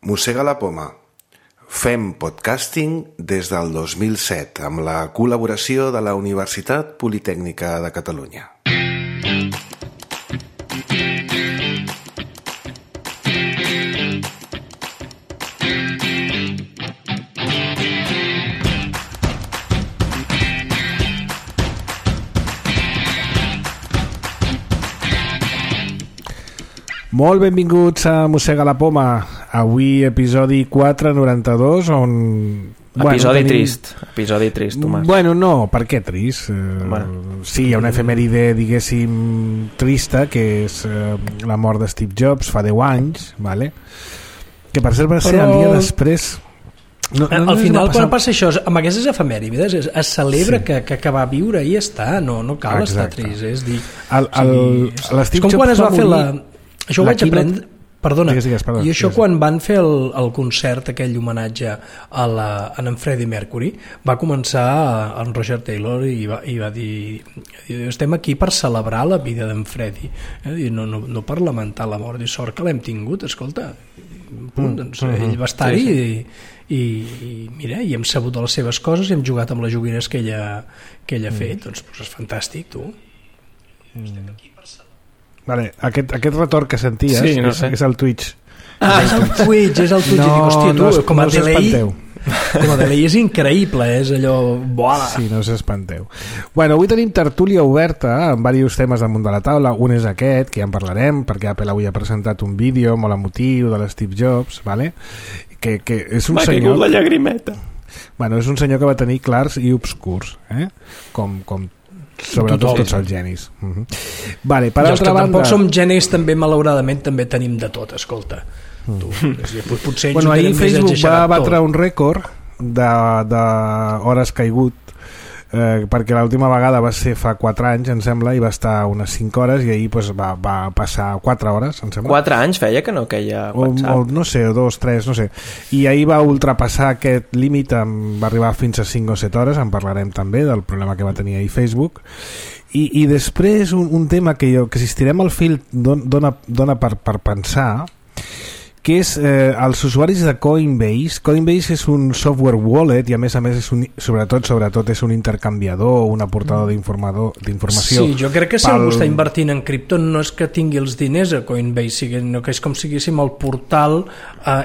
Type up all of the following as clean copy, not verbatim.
Mossega la poma. Fem podcasting des del 2007 amb la col·laboració de la Universitat Politècnica de Catalunya. Molt benvinguts a Mossega la poma. Avui episodi 492 on... Episodi trist, Tomàs. Bueno, no, per què trist? Sí, hi ha una efemèride, diguéssim, trista, que és la mort de Steve Jobs fa 10 anys, vale? Que per cert va ser el dia després... Al final, quan passa això, amb aquestes efemèrides, es celebra que va viure i ja està, no cal estar trist. És dir, és com quan es va fer la... Això ho vaig aprendre... Perdona, digues, i això quan van fer el concert, aquell homenatge a en Freddie Mercury, va començar en Roger Taylor i va dir estem aquí per celebrar la vida d'en Freddie, no per lamentar la mort, i sort que l'hem tingut, escolta, doncs ell va estar-hi i mira, i hem sabut de les seves coses i hem jugat amb les joguines que ell ha fet, doncs és fantàstic, tu. Estem aquí per celebrar. Vale, aquest retorn que senties és el Twitch. És el Twitch. Com a delay és increïble, és allò... Boala. Sí, no us espanteu. Bueno, avui tenim tertúlia oberta amb diversos temes damunt de la taula. Un és aquest, que ja en parlarem, perquè Apple avui ha presentat un vídeo molt emotiu de l'Steve Jobs, vale? Que és un senyor... M'ha caigut la llagrimeta. Bueno, és un senyor que va tenir clars i obscurs, com sobretot tots els genis. Vale, per altra banda... Tampoc som genis, també malauradament també tenim de tot, escolta. Potser ahir Facebook va batre un rècord d'hores caigut, perquè l'última vegada va ser fa 4 anys, em sembla, i va estar unes 5 hores, i ahir va passar 4 hores, em sembla. 4 anys feia que no queia WhatsApp? No sé, 2, 3, no sé. I ahir va ultrapassar aquest límit, va arribar fins a 5 o 7 hores, en parlarem també del problema que va tenir ahir Facebook. I després un tema que si estirem el fil dona per pensar, que és els usuaris de Coinbase. Coinbase és un software wallet i a més sobretot és un intercanviador, un aportador d'informació. Sí, jo crec que si algú està invertint en cripto no és que tingui els diners a Coinbase, sinó que és com si diguéssim el portal,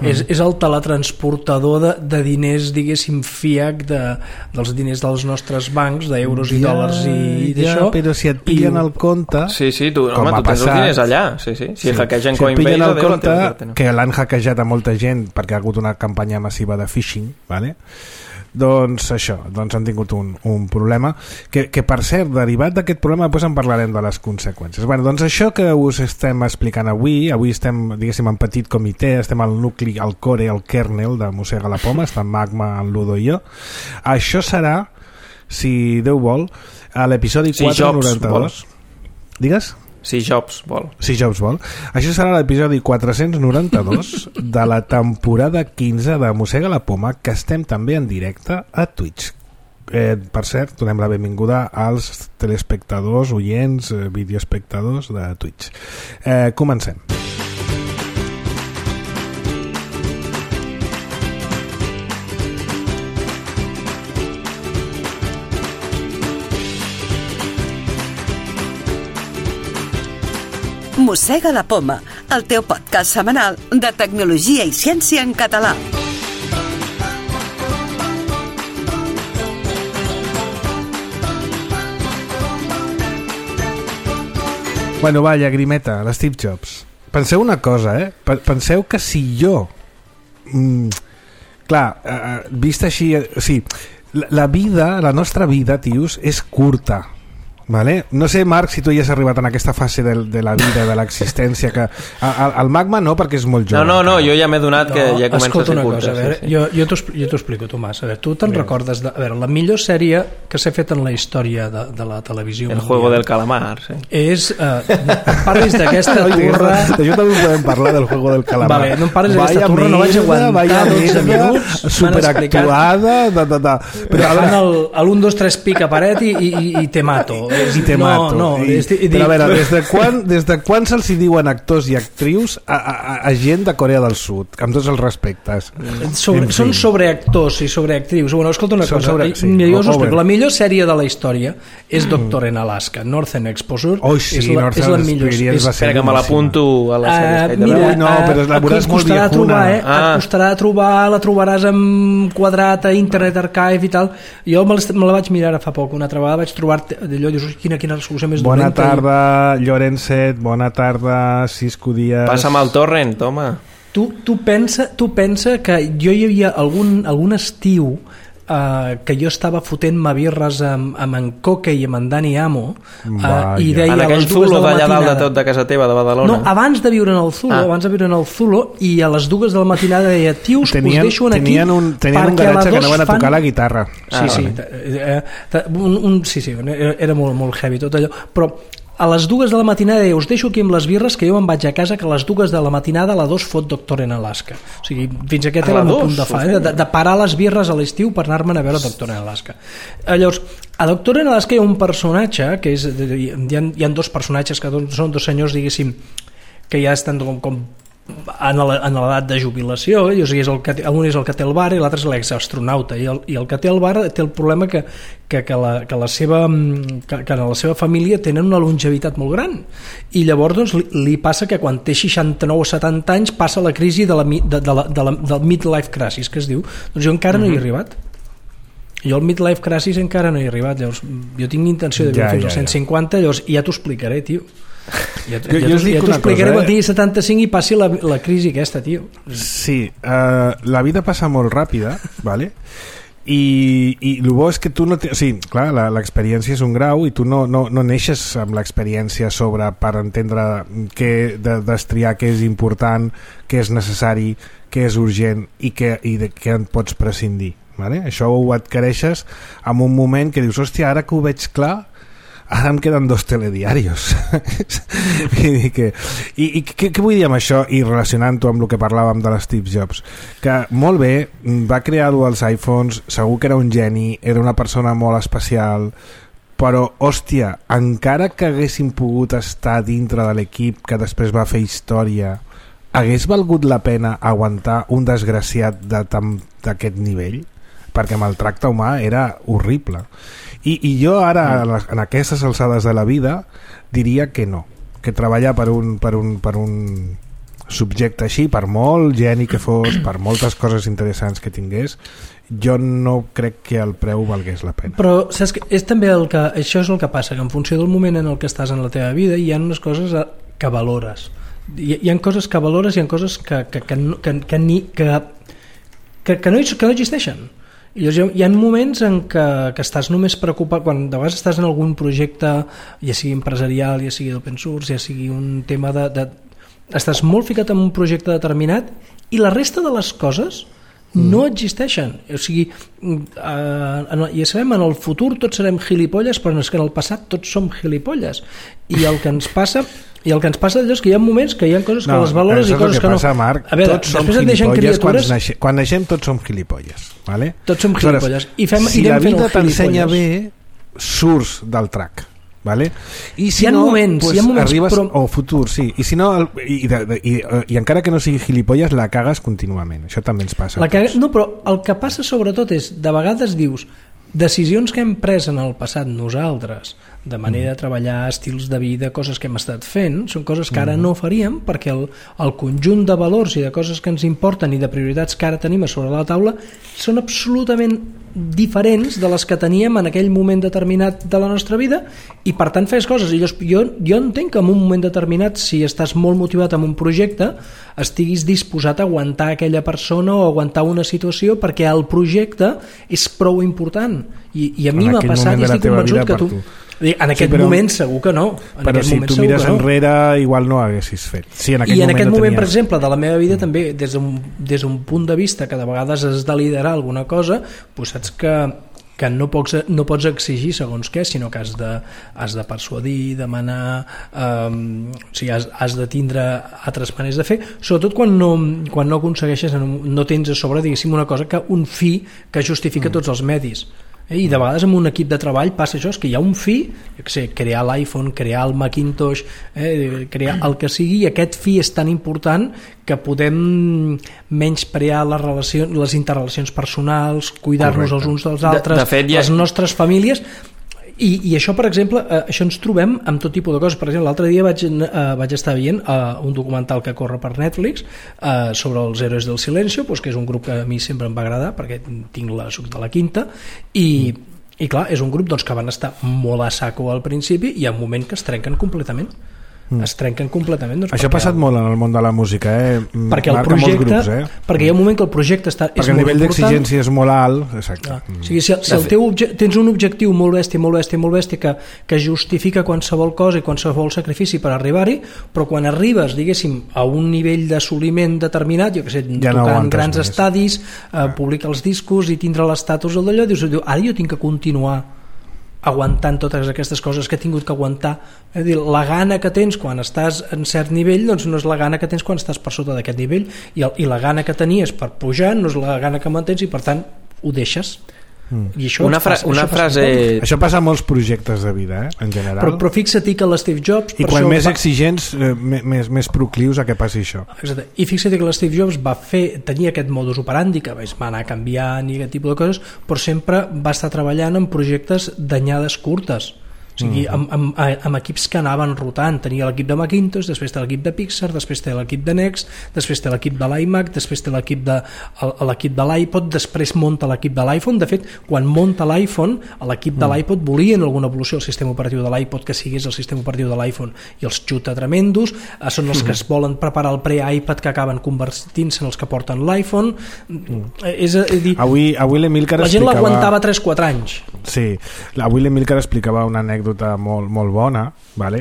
és el teletransportador de diners, diguéssim, fiat dels diners dels nostres bancs, d'euros i dòlars i d'això. Però si et pillen el compte... Sí, tu tens els diners allà. Si hackegen Coinbase... Si et pillen el compte, que l'han hackejat a molta gent perquè ha hagut una campanya massiva de phishing, vale? Doncs han tingut un problema que per cert, derivat d'aquest problema després en parlarem de les conseqüències. Doncs això que us estem explicant avui estem, diguéssim, en petit comitè, estem al nucli, al core, al kernel de Mossega la poma, està en Magma, en Ludo i jo. Això serà, si Déu vol, a l'episodi 492. Digues? Si Jobs vol. Això serà l'episodi 492 de la temporada 15 de Mossega la poma, que estem també en directe a Twitch. Per cert, donem la benvinguda als telespectadors, oients, videoespectadors de Twitch. Comencem. Mossega la poma, el teu podcast setmanal de tecnologia i ciència en català. Bueno, va, llagrimeta, l'Steve Jobs. Penseu una cosa, Penseu que si jo... vist així... Sí, la nostra vida, tios, és curta. Vale? No sé, Marc, si tu ja has arribat en aquesta fase de la vida, de l'existència, que el Magma no, perquè és molt jove. No, jo ja m'he donat que ja comença a ser curta. Escolta una cosa, a veure, jo t'ho explico, Tomàs. A veure, tu te'n recordes a veure, la millor sèrie que s'ha fet en la història de la televisió El Juego del Calamar, sí. És, parlis d'aquesta turra... D'això també podem parlar, del Juego del Calamar. Vale, no em parlis d'aquesta turra, no vaig aguantar 12 minuts. Superactuada... Però fan l'1, 2, 3 pica paret i te mato. i te mato. Però a veure, des de quan se'ls diuen actors i actrius a gent de Corea del Sud, amb tots els respectes? Són sobreactors i sobreactrius. Bueno, escolta una cosa, jo us ho explico. La millor sèrie de la història és Doctor en Alaska. Northern Exposure és la millor. Espera que me l'apunto a la sèrie. Mira, no, però la veuràs molt viejuna. Et costarà trobar, la trobaràs en quadrat a Internet Archive i tal. Jo me la vaig mirar fa poc, una altra vegada vaig trobar allò, dius, quina resolució més dolenta. Bona tarda, Llorençet, bona tarda, Cisco Díaz. Passa'm el torrent, home. Tu pensa que jo hi havia algun estiu que jo estava fotent-me birres amb en Coque i amb en Dani Amo i deia en aquell Zulo d'allà dalt de tot de casa teva de Badalona. No, abans de viure en el Zulo, i a les 2 de la matinada deia, tios, us deixo aquí tenien un garatge que anaven a tocar la guitarra. Sí, era molt heavy tot allò, però a les 2 de la matinada us deixo aquí amb les birres, que jo me'n vaig a casa, que a les 2 de la matinada a la 2 fot Doctor en Alaska. O sigui, fins aquest era el meu punt de fa, de parar les birres a l'estiu per anar-me'n a veure Doctor en Alaska. Llavors, a Doctor en Alaska hi ha un personatge que és, hi ha 2 personatges que són 2 senyors, diguéssim, que ja estan com en l'edat de jubilació, o sigui, un és el que té el bar i l'altre és l'exastronauta, i el que té el bar té el problema que en la seva família tenen una longevitat molt gran, i llavors doncs, li passa que quan té 69 o 70 anys passa la crisi del midlife crisis, que es diu. Doncs jo encara no hi he arribat. Jo al midlife crisis encara no hi he arribat. Llavors, jo tinc intenció de viure fins als 150, llavors ja t'ho explicaré, tio. Ja t'ho explicaré quan tingui 75 i passi la crisi aquesta, tio. Sí, la vida passa molt ràpida, vale? I el bo és que tu no sí, clar, l'experiència és un grau i tu no neixes amb l'experiència per entendre destriar què és important, què és necessari, què és urgent i de què en pots prescindir, vale? Això ho adquireixes en un moment que dius, hòstia, ara que ho veig clar, ara em queden 2 telediarios. I què vull dir amb això, i relacionant-ho amb el que parlàvem de l'Steve Jobs, que molt bé, va crear els iPhones, segur que era un geni, era una persona molt especial, però hòstia, encara que haguessin pogut estar dintre de l'equip que després va fer història, hagués valgut la pena aguantar un desgraciat d'aquest nivell? Perquè amb el tracte humà era horrible. I jo ara, en aquestes alçades de la vida, diria que no, que treballar per un subjecte així, per molt geni que fos, per moltes coses interessants que tingués, jo no crec que el preu valgués la pena. Però saps que és també això és el que passa, que en funció del moment en el que estàs en la teva vida hi ha unes coses que valores. Hi ha coses que valores i hi ha coses que no existeixen. Hi ha moments en què estàs només preocupat, quan de vegades estàs en algun projecte, ja sigui empresarial, ja sigui d'open source, ja sigui un tema estàs molt ficat en un projecte determinat i la resta de les coses no existeixen. O sigui, ja sabem, en el futur tots serem gilipolles, però és que en el passat tots som gilipolles. I el que ens passa és que hi ha moments que hi ha coses que les valores i coses que no. Passa, Marc, a veure, tots som gilipolles, quan naixem tots som gilipolles, vale? Tots som gilipolles. Si la vida t'ensenya bé, surts del track, vale? I si no, arribes al futur, sí. I si no, i encara que no sigui gilipolles, la cagues contínuament. Això també ens passa. No, però el que passa sobretot és, de vegades dius, decisions que hem pres en el passat nosaltres, de manera de treballar, estils de vida, coses que hem estat fent, són coses que ara no faríem, perquè el conjunt de valors i de coses que ens importen i de prioritats que ara tenim a sobre la taula són absolutament diferents de les que teníem en aquell moment determinat de la nostra vida, i per tant fes coses. I jo entenc que en un moment determinat, si estàs molt motivat en un projecte, estiguis disposat a aguantar aquella persona o aguantar una situació perquè el projecte és prou important, i a mi m'ha passat i estic convençut que tu... En aquest moment segur que no. Però si tu mires enrere igual no haguessis fet. I en aquest moment, per exemple, de la meva vida també, des d'un punt de vista que de vegades has de liderar alguna cosa, doncs saps que no pots exigir segons què, sinó que has de persuadir, demanar, o sigui, has de tindre altres maneres de fer, sobretot quan no aconsegueixes, no tens a sobre, diguéssim, una cosa que un fi que justifica tots els medis. I de vegades amb un equip de treball passa això, és que hi ha un fi, jo què sé, crear l'iPhone, crear el Macintosh, crear el que sigui, i aquest fi és tan important que podem menysprear les interrelacions personals, cuidar-nos els uns dels altres, de fet, les nostres famílies. I això, per exemple, això ens trobem amb tot tipus de coses. Per exemple, l'altre dia vaig estar veient un documental que corre per Netflix sobre els Héroes del Silencio, que és un grup que a mi sempre em va agradar perquè soc de la quinta, i clar, és un grup que van estar molt a saco al principi i hi ha un moment que es trenquen completament. Es trenquen completament. Això ha passat molt en el món de la música, perquè el projecte, perquè hi ha un moment que el projecte és molt important, perquè el nivell d'exigència és molt alt. Exacte. O sigui, si tens un objectiu molt bèstia que justifica qualsevol cosa i qualsevol sacrifici per arribar-hi, però quan arribes, diguéssim, a un nivell d'assoliment determinat, jo que sé, tocant grans estadis, publicar els discos i tindre l'estatus d'allò, dius, ara jo tinc que continuar aguantant totes aquestes coses que he tingut que aguantar. És a dir, la gana que tens quan estàs en cert nivell no és la gana que tens quan estàs per sota d'aquest nivell, i la gana que tenies per pujar no és la gana que mantens, i per tant ho deixes. I això això passa a molts projectes de vida, en general, però fixa't que l'Steve Jobs, i quan més exigents més proclius a que passi això. Exacte. I fixa't que l'Steve Jobs tenia aquest modus operandi que va anar canviant i aquest tipus de coses, però sempre va estar treballant en projectes d'anyades curtes. O sigui, amb equips que anaven rotant. Tenia l'equip de Macintosh, després té l'equip de Pixar, després té l'equip de Next, després té l'equip de l'iMac, després té l'equip de l'iPod, després munta l'equip de l'iPhone. De fet, quan munta l'iPhone, l'equip de l'iPod volien alguna evolució al sistema operatiu de l'iPod que sigués el sistema operatiu de l'iPhone, i els xuta tremendos. Són els que es volen preparar el pre-iPad que acaben convertint-se en els que porten l'iPhone. És a dir, avui l'Emilcar la gent l'aguantava 3-4 anys. Sí, avui l'Emilcar explicava una anècdota molt bona, vale?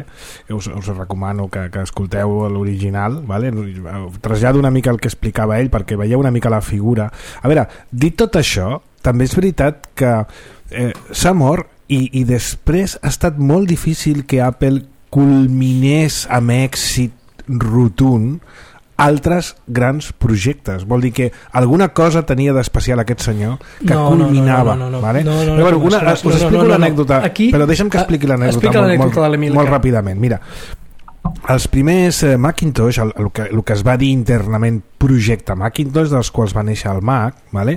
Us recomano que escolteu l'original, vale? Trasllado una mica el que explicava ell perquè veieu una mica la figura. A veure, dit tot això, també és veritat que s'ha mort i després ha estat molt difícil que Apple culminés amb èxit rotund altres grans projectes. Vol dir que alguna cosa tenia d'especial aquest senyor que culminava. Us explico l'anècdota, però deixa'm que expliqui l'anècdota molt ràpidament. Mira, els primers Macintosh, el que es va dir internament projecte Macintosh, dels quals va néixer el Mac, vale?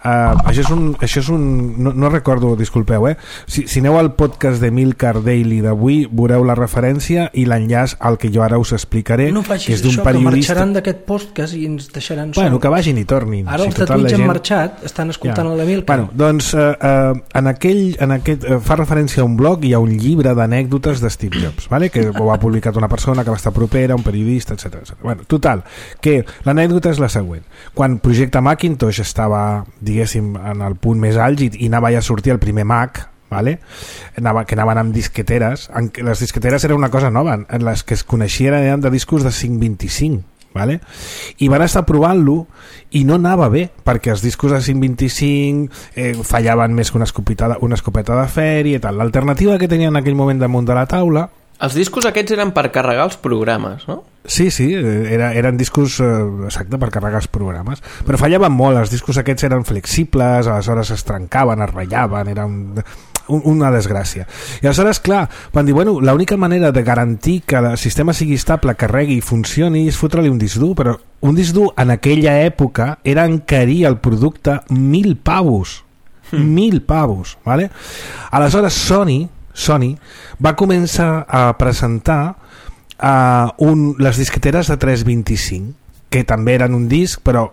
Això és un no recordo, disculpeu, si aneu al podcast de Milcar Daily d'avui veureu la referència i l'enllaç al que jo ara us explicaré, que és d'un periodista. Que marxaran d'aquest podcast i ens deixaran sol. Que vagin i tornin. Ara els tatuits han marxat, estan escoltant l'Emilcar. Doncs en aquest fa referència a un blog i a un llibre d'anècdotes de Steve Jobs, vale? Que ho ha publicat una persona que va estar propera, un periodista, etc. Total, que l'anècdota és la següent. Quan projecte Macintosh estava, diguéssim, en el punt més àlgid i anava ja a sortir el primer Mac, vale? Que anaven amb disqueteres, les disqueteres era una cosa nova, en les que es coneixien eren de discos de 525, vale? I van estar provant-lo i no anava bé, perquè els discos de 525 fallaven més que una escopeta de fèria i tal. L'alternativa que tenien en aquell moment damunt de la taula. Els discos aquests eren per carregar els programes, no? Sí, eren discos exacte, per carregar els programes, però fallaven molt. Els discos aquests eren flexibles, aleshores es trencaven, es ratllaven, era una desgràcia. I aleshores, clar, van dir, l'única manera de garantir que el sistema sigui estable, carregui i funcioni és fotre-li un disc dur, però un disc dur en aquella època era encarir el producte 1.000 pavos. 1.000 pavos, vale? Aleshores Sony va començar a presentar les disqueteres de 325, que també eren un disc, però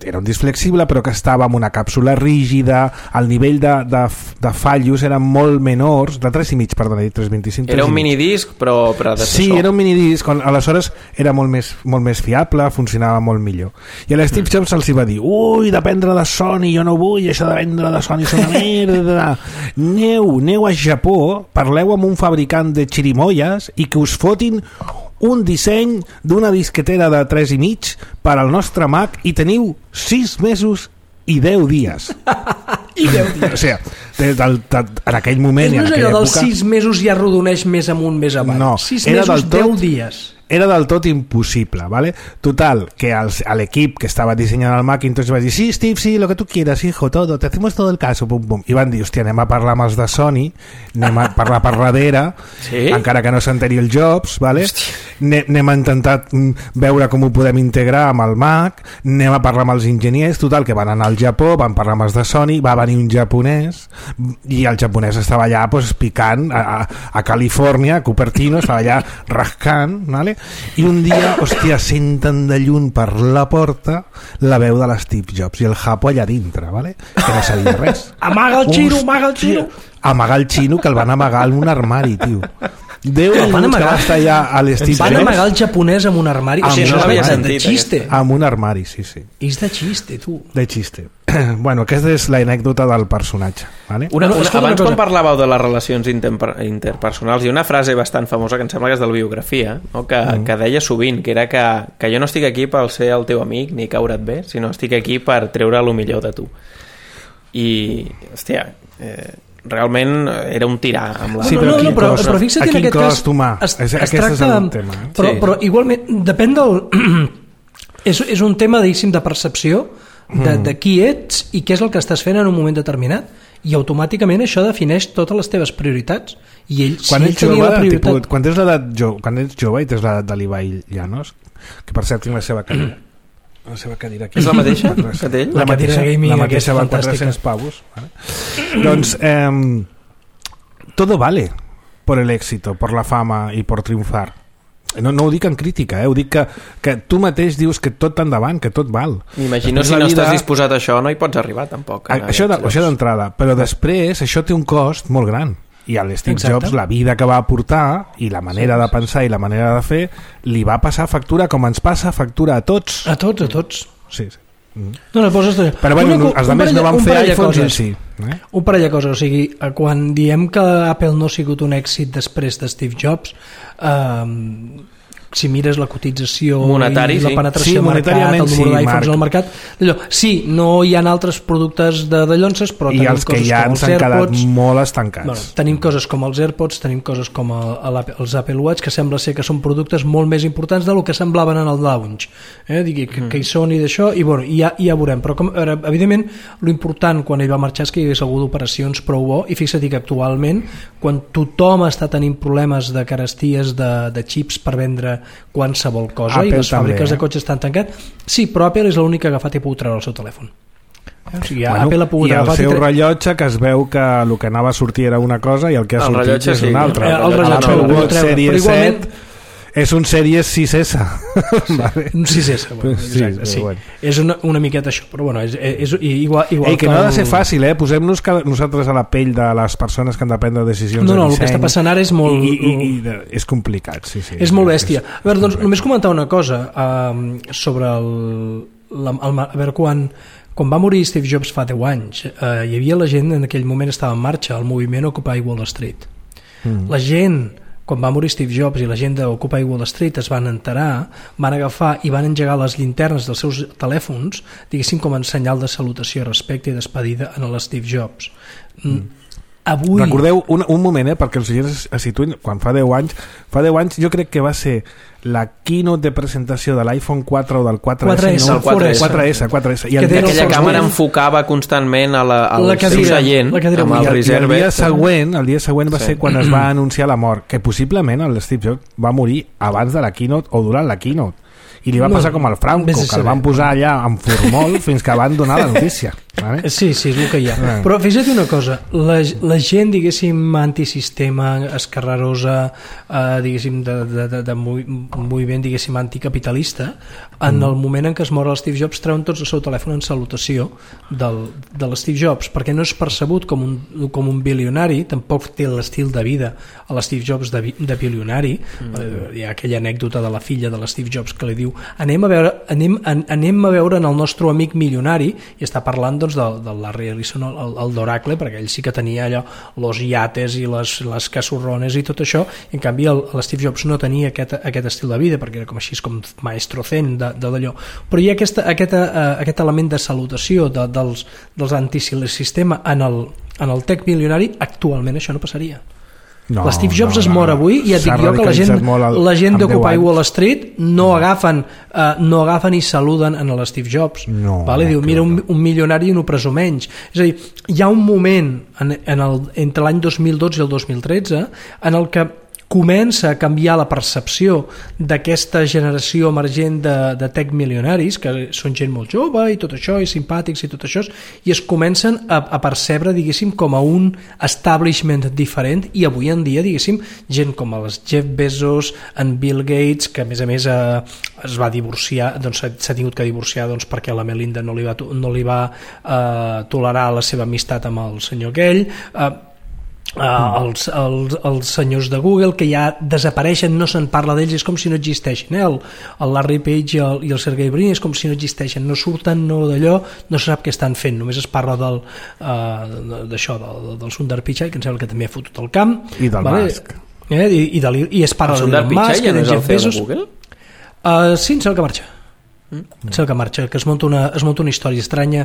era un disc flexible, però que estava amb una càpsula rígida, el nivell de fallos eren molt menors, de 3,5, perdona, 3,25. Era un minidisc, però predecessor. Sí, era un minidisc, aleshores era molt més fiable, funcionava molt millor. I a l'Steve Jobs els va dir, dependre de Sony, jo no vull, això de vendre de Sony és una merda. Aneu a Japó, parleu amb un fabricant de xirimoies i que us fotin un disseny d'una disquetera de 3,5 per al nostre Mac i teniu 6 mesos i 10 dies. I 10 dies. O sigui, en aquell moment... No és allò dels 6 mesos i arrodoneix més amunt, més avall. No, 6 mesos, 10 dies. era del tot impossible, ¿vale? Total, que a l'equip que estava dissenyant el Macintosh va dir, sí, Steve, sí, lo que tú quieras, hijo, todo, te hacemos todo el caso, pum, pum. I van dir, hòstia, anem a parlar amb els de Sony, anem a parlar per darrere, sí? encara que no s'enteri el Jobs, ¿vale? Anem a intentar veure com ho podem integrar amb el Mac, anem a parlar amb els enginyers, total, que van anar al Japó, van parlar amb els de Sony, va venir un japonès, i el japonès estava allà pues, picant a Califòrnia, a Cupertino, estava allà rascant, ¿vale? I un dia, hòstia, senten de lluny per la porta la veu de l'Steve Jobs i el japo allà dintre, ¿vale? Que no sabia res. Amaga el xino, amaga el xino. Amagar el xino, que el van amagar en un armari, tio. 10 minuts que va estar allà a l'Steve Jobs. Van amagar el japonès en un armari. O sigui, no l'havia sentit. De xiste. Amb un armari, sí, sí. És de xiste, tu. De xiste. Bueno, aquesta és l'anècdota del personatge. ¿Vale? Abans quan parlàveu de les relacions interpersonals, hi ha una frase bastant famosa que em sembla que és de la biografia, no? que deia sovint, que era que jo no estic aquí per ser el teu amic ni caure't bé, sinó estic aquí per treure el millor de tu. I, hòstia, realment era un tirà amb la... Sí, però fixa't en aquest cas humà. es tracta tema, però igualment depèn del és un tema diguéssim de percepció de qui ets i què és el que estàs fent en un moment determinat, i automàticament això defineix totes les teves prioritats. I ell, quan ets jove, quan ets jove i tens l'edat de l'Ibai Llanos, que per cert tinc la seva cadira aquí. És la mateixa que té ell? La mateixa va 400 pavos, ¿vale? Doncs todo vale por el éxito, por la fama y por triunfar. No ho dic en crítica, ho dic que tu mateix dius que tot endavant, que tot val. M'imagino si no estàs disposat a això no hi pots arribar tampoc. Això d'entrada, però després això té un cost molt gran. I a l'Steve Jobs la vida que va aportar i la manera de pensar i la manera de fer li va passar factura com ens passa factura a tots. A tots. Sí. No, però bueno, els altres no van fer iPhones en si. Un parell de coses, o sigui, quan diem que Apple no ha sigut un èxit després de Steve Jobs, si mires la cotització monetari, i la penetració al mercat, el número d'iPhones al mercat, sí, no hi ha altres productes de llonces, però i tenim els que coses ja com els s'han quedat AirPods, molt estancats. Bueno, tenim coses com els AirPods, tenim coses com els Apple Watch, que sembla ser que són productes molt més importants del que semblaven en el launch, que hi són i d'això, i bueno, ja veurem, però evidentment l'important quan ell va marxar és que hi hagués algú d'operacions prou bo, i fixa't que actualment quan tothom està tenint problemes de caresties de xips per vendre qualsevol cosa, Apple i les fàbriques de cotxes estan tancats, sí, però Apple és l'única que ha agafat i ha pogut treure el seu telèfon. O sigui, Apple ha pogut i el seu rellotge, que es veu que el que anava a sortir era una cosa i el que ha sortit és una altra. El rellotge l'Apple Watch Series 7 és un Series 6S. Vale. Un 6S, bueno, sí, sí. Bueno. És una miqueta això, però bueno, és igual que no ha de ser fàcil, posem-nos nosaltres a la pell de les persones que han de prendre decisions de disseny. El que està passant ara és molt... és complicat, sí. És molt bèstia. A veure, doncs només comentar una cosa sobre a veure, quan va morir Steve Jobs fa 10 anys, hi havia la gent en aquell moment estava en marxa, el moviment Occupy Wall Street. La gent, quan va morir Steve Jobs i la gent d'Occupy Wall Street es van enterar, van agafar i van engegar les llinternes dels seus telèfons, diguéssim, com en senyal de salutació, respecte i despedida a l'Steve Jobs. Avui... Recordeu un moment, perquè els oients es situïn, quan fa 10 anys jo crec que va ser la keynote de presentació de l'iPhone 4 o del 4S, no? 4S. I aquella càmera enfocava constantment al seu seient amb el reserve. El dia següent va ser quan es va anunciar la mort, que possiblement el Steve Jobs va morir abans de la keynote o durant la keynote, i li va passar com al Franco, que el van posar allà en formol fins que van donar la notícia. Vale? Sí, és el que hi ha. Però fixa't una cosa, la gent, diguéssim, antisistema, escarrerosa, diguéssim, de moviment, diguéssim, anticapitalista, en el moment en què es mor el Steve Jobs treuen tots el seu telèfon en salutació de l'Steve Jobs, perquè no és percebut com un bilionari, tampoc té l'estil de vida a l'Steve Jobs de bilionari. Hi ha aquella anècdota de la filla de l'Steve Jobs que li diu anem a veure en el nostre amic milionari, i està parlant doncs del Larry Ellison, el d'Oracle, perquè ell sí que tenia allò, los yates i les casorrones i tot això, i en canvi l'Steve Jobs no tenia aquest estil de vida, perquè era com així, com maestro zen d'allò, però hi ha aquest element de salutació dels antisistema en el tech milionari. Actualment això no passaria. No, Steve Jobs es mor avui i et dic jo que la gent d'Occupy Wall Street no agafen i saluden en l'Steve Jobs. Diu, mira, un milionari i no preso menys. És a dir, hi ha un moment entre l'any 2012 i el 2013 en el que comença a canviar la percepció d'aquesta generació emergent de tech milionaris, que són gent molt jove i tot això, i simpàtics i tot això, i es comencen a percebre, diguéssim, com a un establishment diferent, i avui en dia, diguéssim, gent com els Jeff Bezos, en Bill Gates, que a més es va divorciar, doncs s'ha tingut que divorciar perquè la Melinda no li va tolerar la seva amistat amb el senyor aquell, els senyors de Google, que ja desapareixen, no se'n parla d'ells, és com si no existeixen, el Larry Page i el Sergey Brin és com si no existeixen, no surten, no d'allò, no se sap què estan fent, només es parla d'això, del Sundar Pichai, que em sembla que també ha fotut el camp, i del Musk, i es parla del Musk i de Jeff Bezos. Sí, em sembla que marxa. Que es munta una història estranya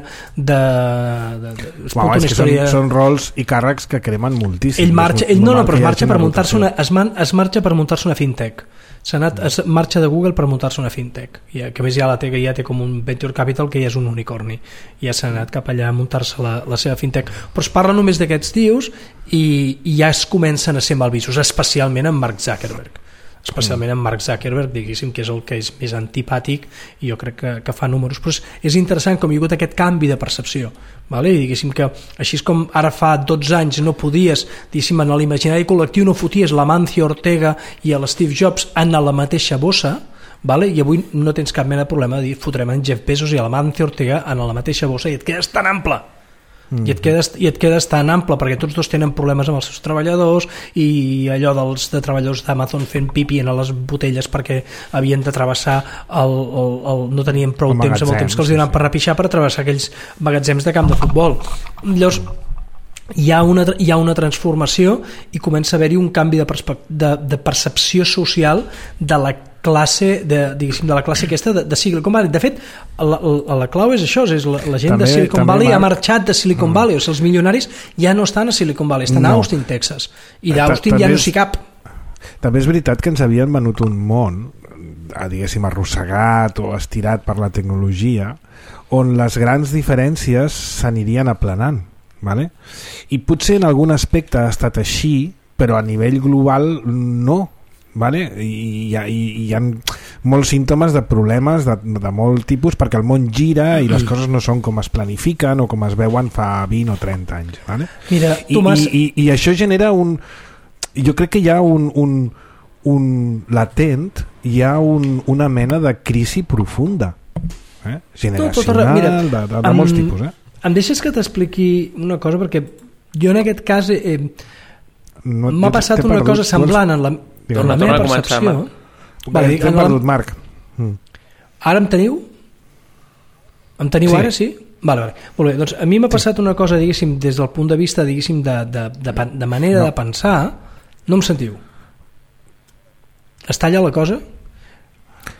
són rols i càrrecs que cremen moltíssim. Ell marxa per muntar-se una fintech. Es marxa de Google per muntar-se una fintech, que a més ja té com un venture capital que ja és un unicorni, ja s'ha anat cap allà a muntar-se la seva fintech, però es parla només d'aquests tios i ja es comencen a ser malvistos, especialment amb Mark Zuckerberg, diguéssim, que és el que és més antipàtic, i jo crec que fa números, però és interessant com hi ha hagut aquest canvi de percepció, i diguéssim que així com ara fa 12 anys no podies, diguéssim, en l'imaginari col·lectiu no foties l'Amancio Ortega i l'Steve Jobs en la mateixa bossa, i avui no tens cap mena de problema de dir fotrem en Jeff Bezos i l'Amancio Ortega en la mateixa bossa i et quedes tan ample. I et quedes tan ample perquè tots dos tenen problemes amb els seus treballadors, i allò de treballadors d'Amazon fent pipi en les botelles perquè havien de travessar no tenien prou temps amb el temps que els donaven per repixar per travessar aquells magatzems de camp de futbol. Llavors hi ha una transformació i comença a haver-hi un canvi de percepció social de la classe aquesta de Silicon Valley. De fet, la clau és això, és la gent de Silicon Valley ha marxat de Silicon Valley, o sigui, els milionaris ja no estan a Silicon Valley, estan a Austin, Texas, i d'Austin ja no s'hi cap. També és veritat que ens havien venut un món, diguéssim, arrossegat o estirat per la tecnologia, on les grans diferències s'anirien aplanant, vale? I potser en algun aspecte ha estat així, però a nivell global no, vale? I hi ha molts símptomes de problemes de molt tipus, perquè el món gira i les coses no són com es planifiquen o com es veuen fa 20 o 30 anys, vale? Mira, Tomàs... I això genera jo crec que hi ha un latent, hi ha una mena de crisi profunda, generacional, de molts tipus. Em deixes que t'expliqui una cosa, perquè jo en aquest cas m'ha passat una cosa semblant en la meva percepció. T'hem perdut, Marc. Ara em teniu? Em teniu ara, sí? Vale. Molt bé, doncs a mi m'ha passat una cosa, diguéssim, des del punt de vista, diguéssim, de manera de pensar. No em sentiu? Es talla la cosa?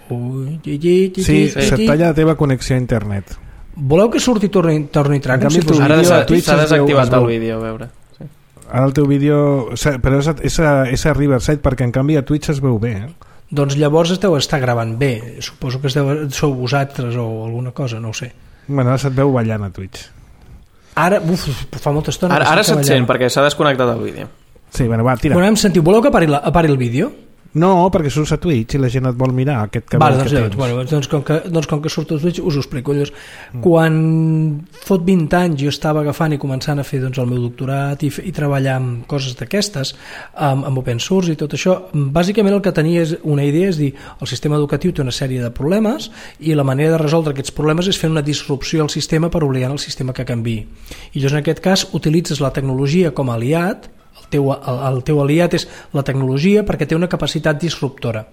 Sí, se't talla la teva connexió a internet. Voleu que surti i torni a entrar? Ara s'ha desactivat el vídeo, a veure. Ara el teu vídeo... Però és a Riverside, perquè en canvi a Twitch es veu bé, Doncs llavors es deu estar gravant bé. Suposo que sou vosaltres o alguna cosa, no ho sé. Bueno, ara se't veu ballant a Twitch. Ara, fa molta estona. Ara se't sent, perquè s'ha desconnectat el vídeo. Sí, bueno, va, tira. Bueno, em sentiu, voleu que apari el vídeo? No, perquè surts a Twitch i la gent et vol mirar aquest que vale, que tens. Bueno, doncs com que surto a Twitch us ho explico. Quan fot 20 anys jo estava agafant i començant a fer el meu doctorat i treballar amb coses d'aquestes, amb open source i tot això, bàsicament el que tenia és una idea, és dir, el sistema educatiu té una sèrie de problemes i la manera de resoldre aquests problemes és fer una disrupció al sistema per obligar el sistema que canviï. I llavors en aquest cas utilitzes la tecnologia com a aliat. El teu aliat és la tecnologia perquè té una capacitat disruptora,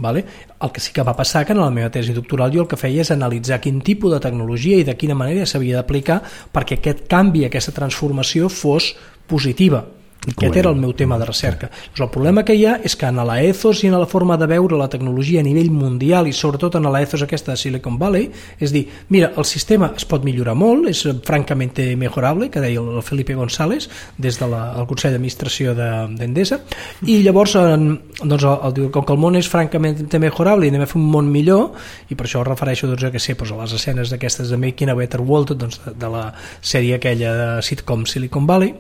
vale? El que sí que va passar que en la meva tesi doctoral jo el que feia és analitzar quin tipus de tecnologia i de quina manera s'havia d'aplicar perquè aquest canvi, aquesta transformació fos positiva. Aquest era el meu tema de recerca. El problema que hi ha és que en la ethos i en la forma de veure la tecnologia a nivell mundial i sobretot en la ethos aquesta de Silicon Valley, és dir, mira, el sistema es pot millorar molt, és francament mejorable, que deia el Felipe González des del Consell d'Administració d'Endesa, i llavors doncs, com que el món és francament mejorable i anem a fer un món millor, i per això es refereixo doncs, a les escenes d'aquestes de Making a Better World, doncs, de la sèrie aquella de sitcom Silicon Valley.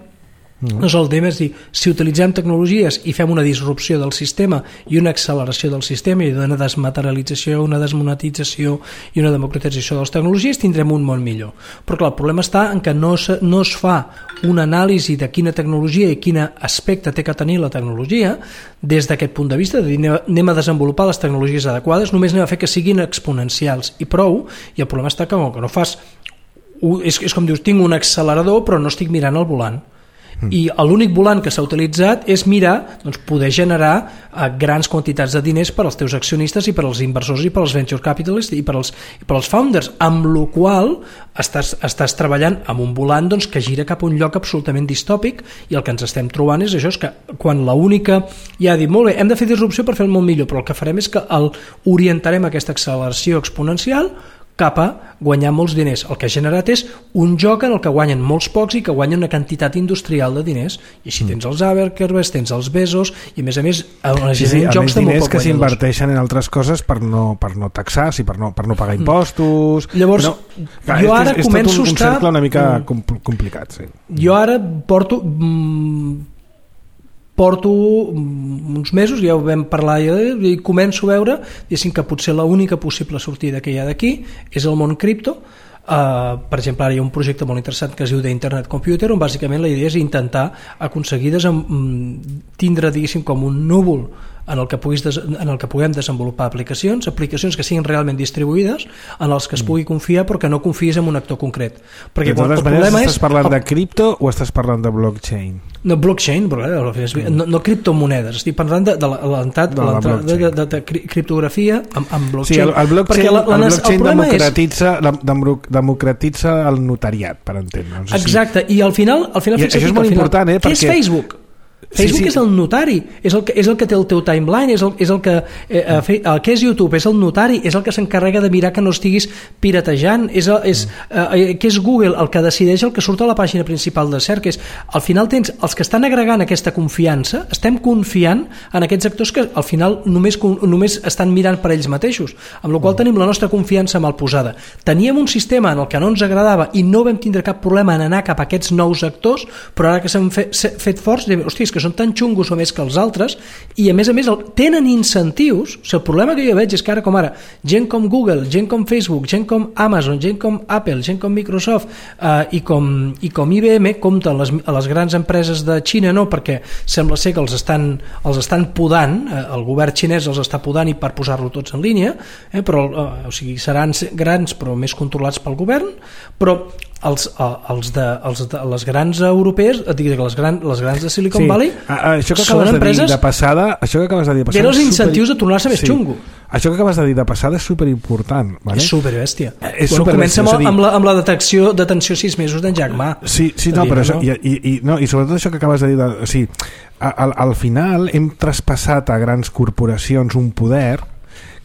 Doncs el tema és dir, si utilitzem tecnologies i fem una disrupció del sistema i una acceleració del sistema i una desmaterialització, una desmonetització i una democratització de les tecnologies, tindrem un món millor. Però clar, el problema està en que no es fa una anàlisi de quina tecnologia i quin aspecte té que tenir la tecnologia des d'aquest punt de vista, de dir, anem a desenvolupar les tecnologies adequades, només anem a fer que siguin exponencials i prou, i el problema està que no fas... És com dius, tinc un accelerador però no estic mirant el volant. I l'únic volant que s'ha utilitzat és mirar, doncs, poder generar grans quantitats de diners per als teus accionistes i per als inversors i per als venture capitalists i per als founders, amb la qual estàs treballant amb un volant doncs, que gira cap a un lloc absolutament distòpic, i el que ens estem trobant és això, és que quan l'única ja ha dit, molt bé, hem de fer disrupció per fer el món millor, però el que farem és que orientarem aquesta acceleració exponencial cap a guanyar molts diners. El que ha generat és un joc en el que guanyen molts pocs i que guanyen una quantitat industrial de diners, i així tens els Zuckerberg, tens els Bezos, i a més jocs de molt poc que s'inverteixen en altres coses per no taxar, per no pagar impostos. Llavors, jo ara començo a estar... És tot un cercle una mica complicat. Sí. Jo ara porto uns mesos, ja ho vam parlar i començo a veure que potser l'única possible sortida que hi ha d'aquí és el món cripto. Per exemple, ara hi ha un projecte molt interessant que es diu d'Internet Computer, on bàsicament la idea és intentar aconseguir tindre, diguéssim, com un núvol en el que puguem desenvolupar aplicacions que siguin realment distribuïdes, en els que es pugui confiar però que no confies en un actor concret. Perquè de totes maneres, estàs parlant de cripto o estàs parlant de blockchain? No, blockchain, no criptomonedes, estic parlant de criptografia amb blockchain. Sí, el blockchain democratitza el notariat, per entendre. Exacte, i al final això és molt important, què és Facebook? Facebook és el notari, és el que té el teu timeline, és el que què és YouTube? És el notari, és el que s'encarrega de mirar que no estiguis piratejant, què és Google? El que decideix el que surt a la pàgina principal de cerca. Al final tens els que estan agregant aquesta confiança, estem confiant en aquests actors que al final només estan mirant per ells mateixos, amb la qual tenim la nostra confiança mal posada. Teníem un sistema en el que no ens agradava i no vam tindre cap problema en anar cap a aquests nous actors, però ara que s'han fet forts, hòstia, que són tan xungos o més que els altres, i a més tenen incentius. El problema que jo veig és que ara com ara gent com Google, gent com Facebook, gent com Amazon, gent com Apple, gent com Microsoft i com IBM compten a les grans empreses de Xina, no, perquè sembla ser que els estan podant, el govern xinès els està podant i per posar-lo tots en línia, però seran grans però més controlats pel govern, però les grans europees, les grans de Silicon Valley, això que acabes de dir de passada, tenen els incentius de tornar-se més xungo. Això que acabes de dir de passada és superimportant, vale? És superbèstia. Comença amb la detenció 6 mesos d'en Jack Ma. Sí, però això, i sobretot això que acabes de dir, al final hem traspassat a grans corporacions un poder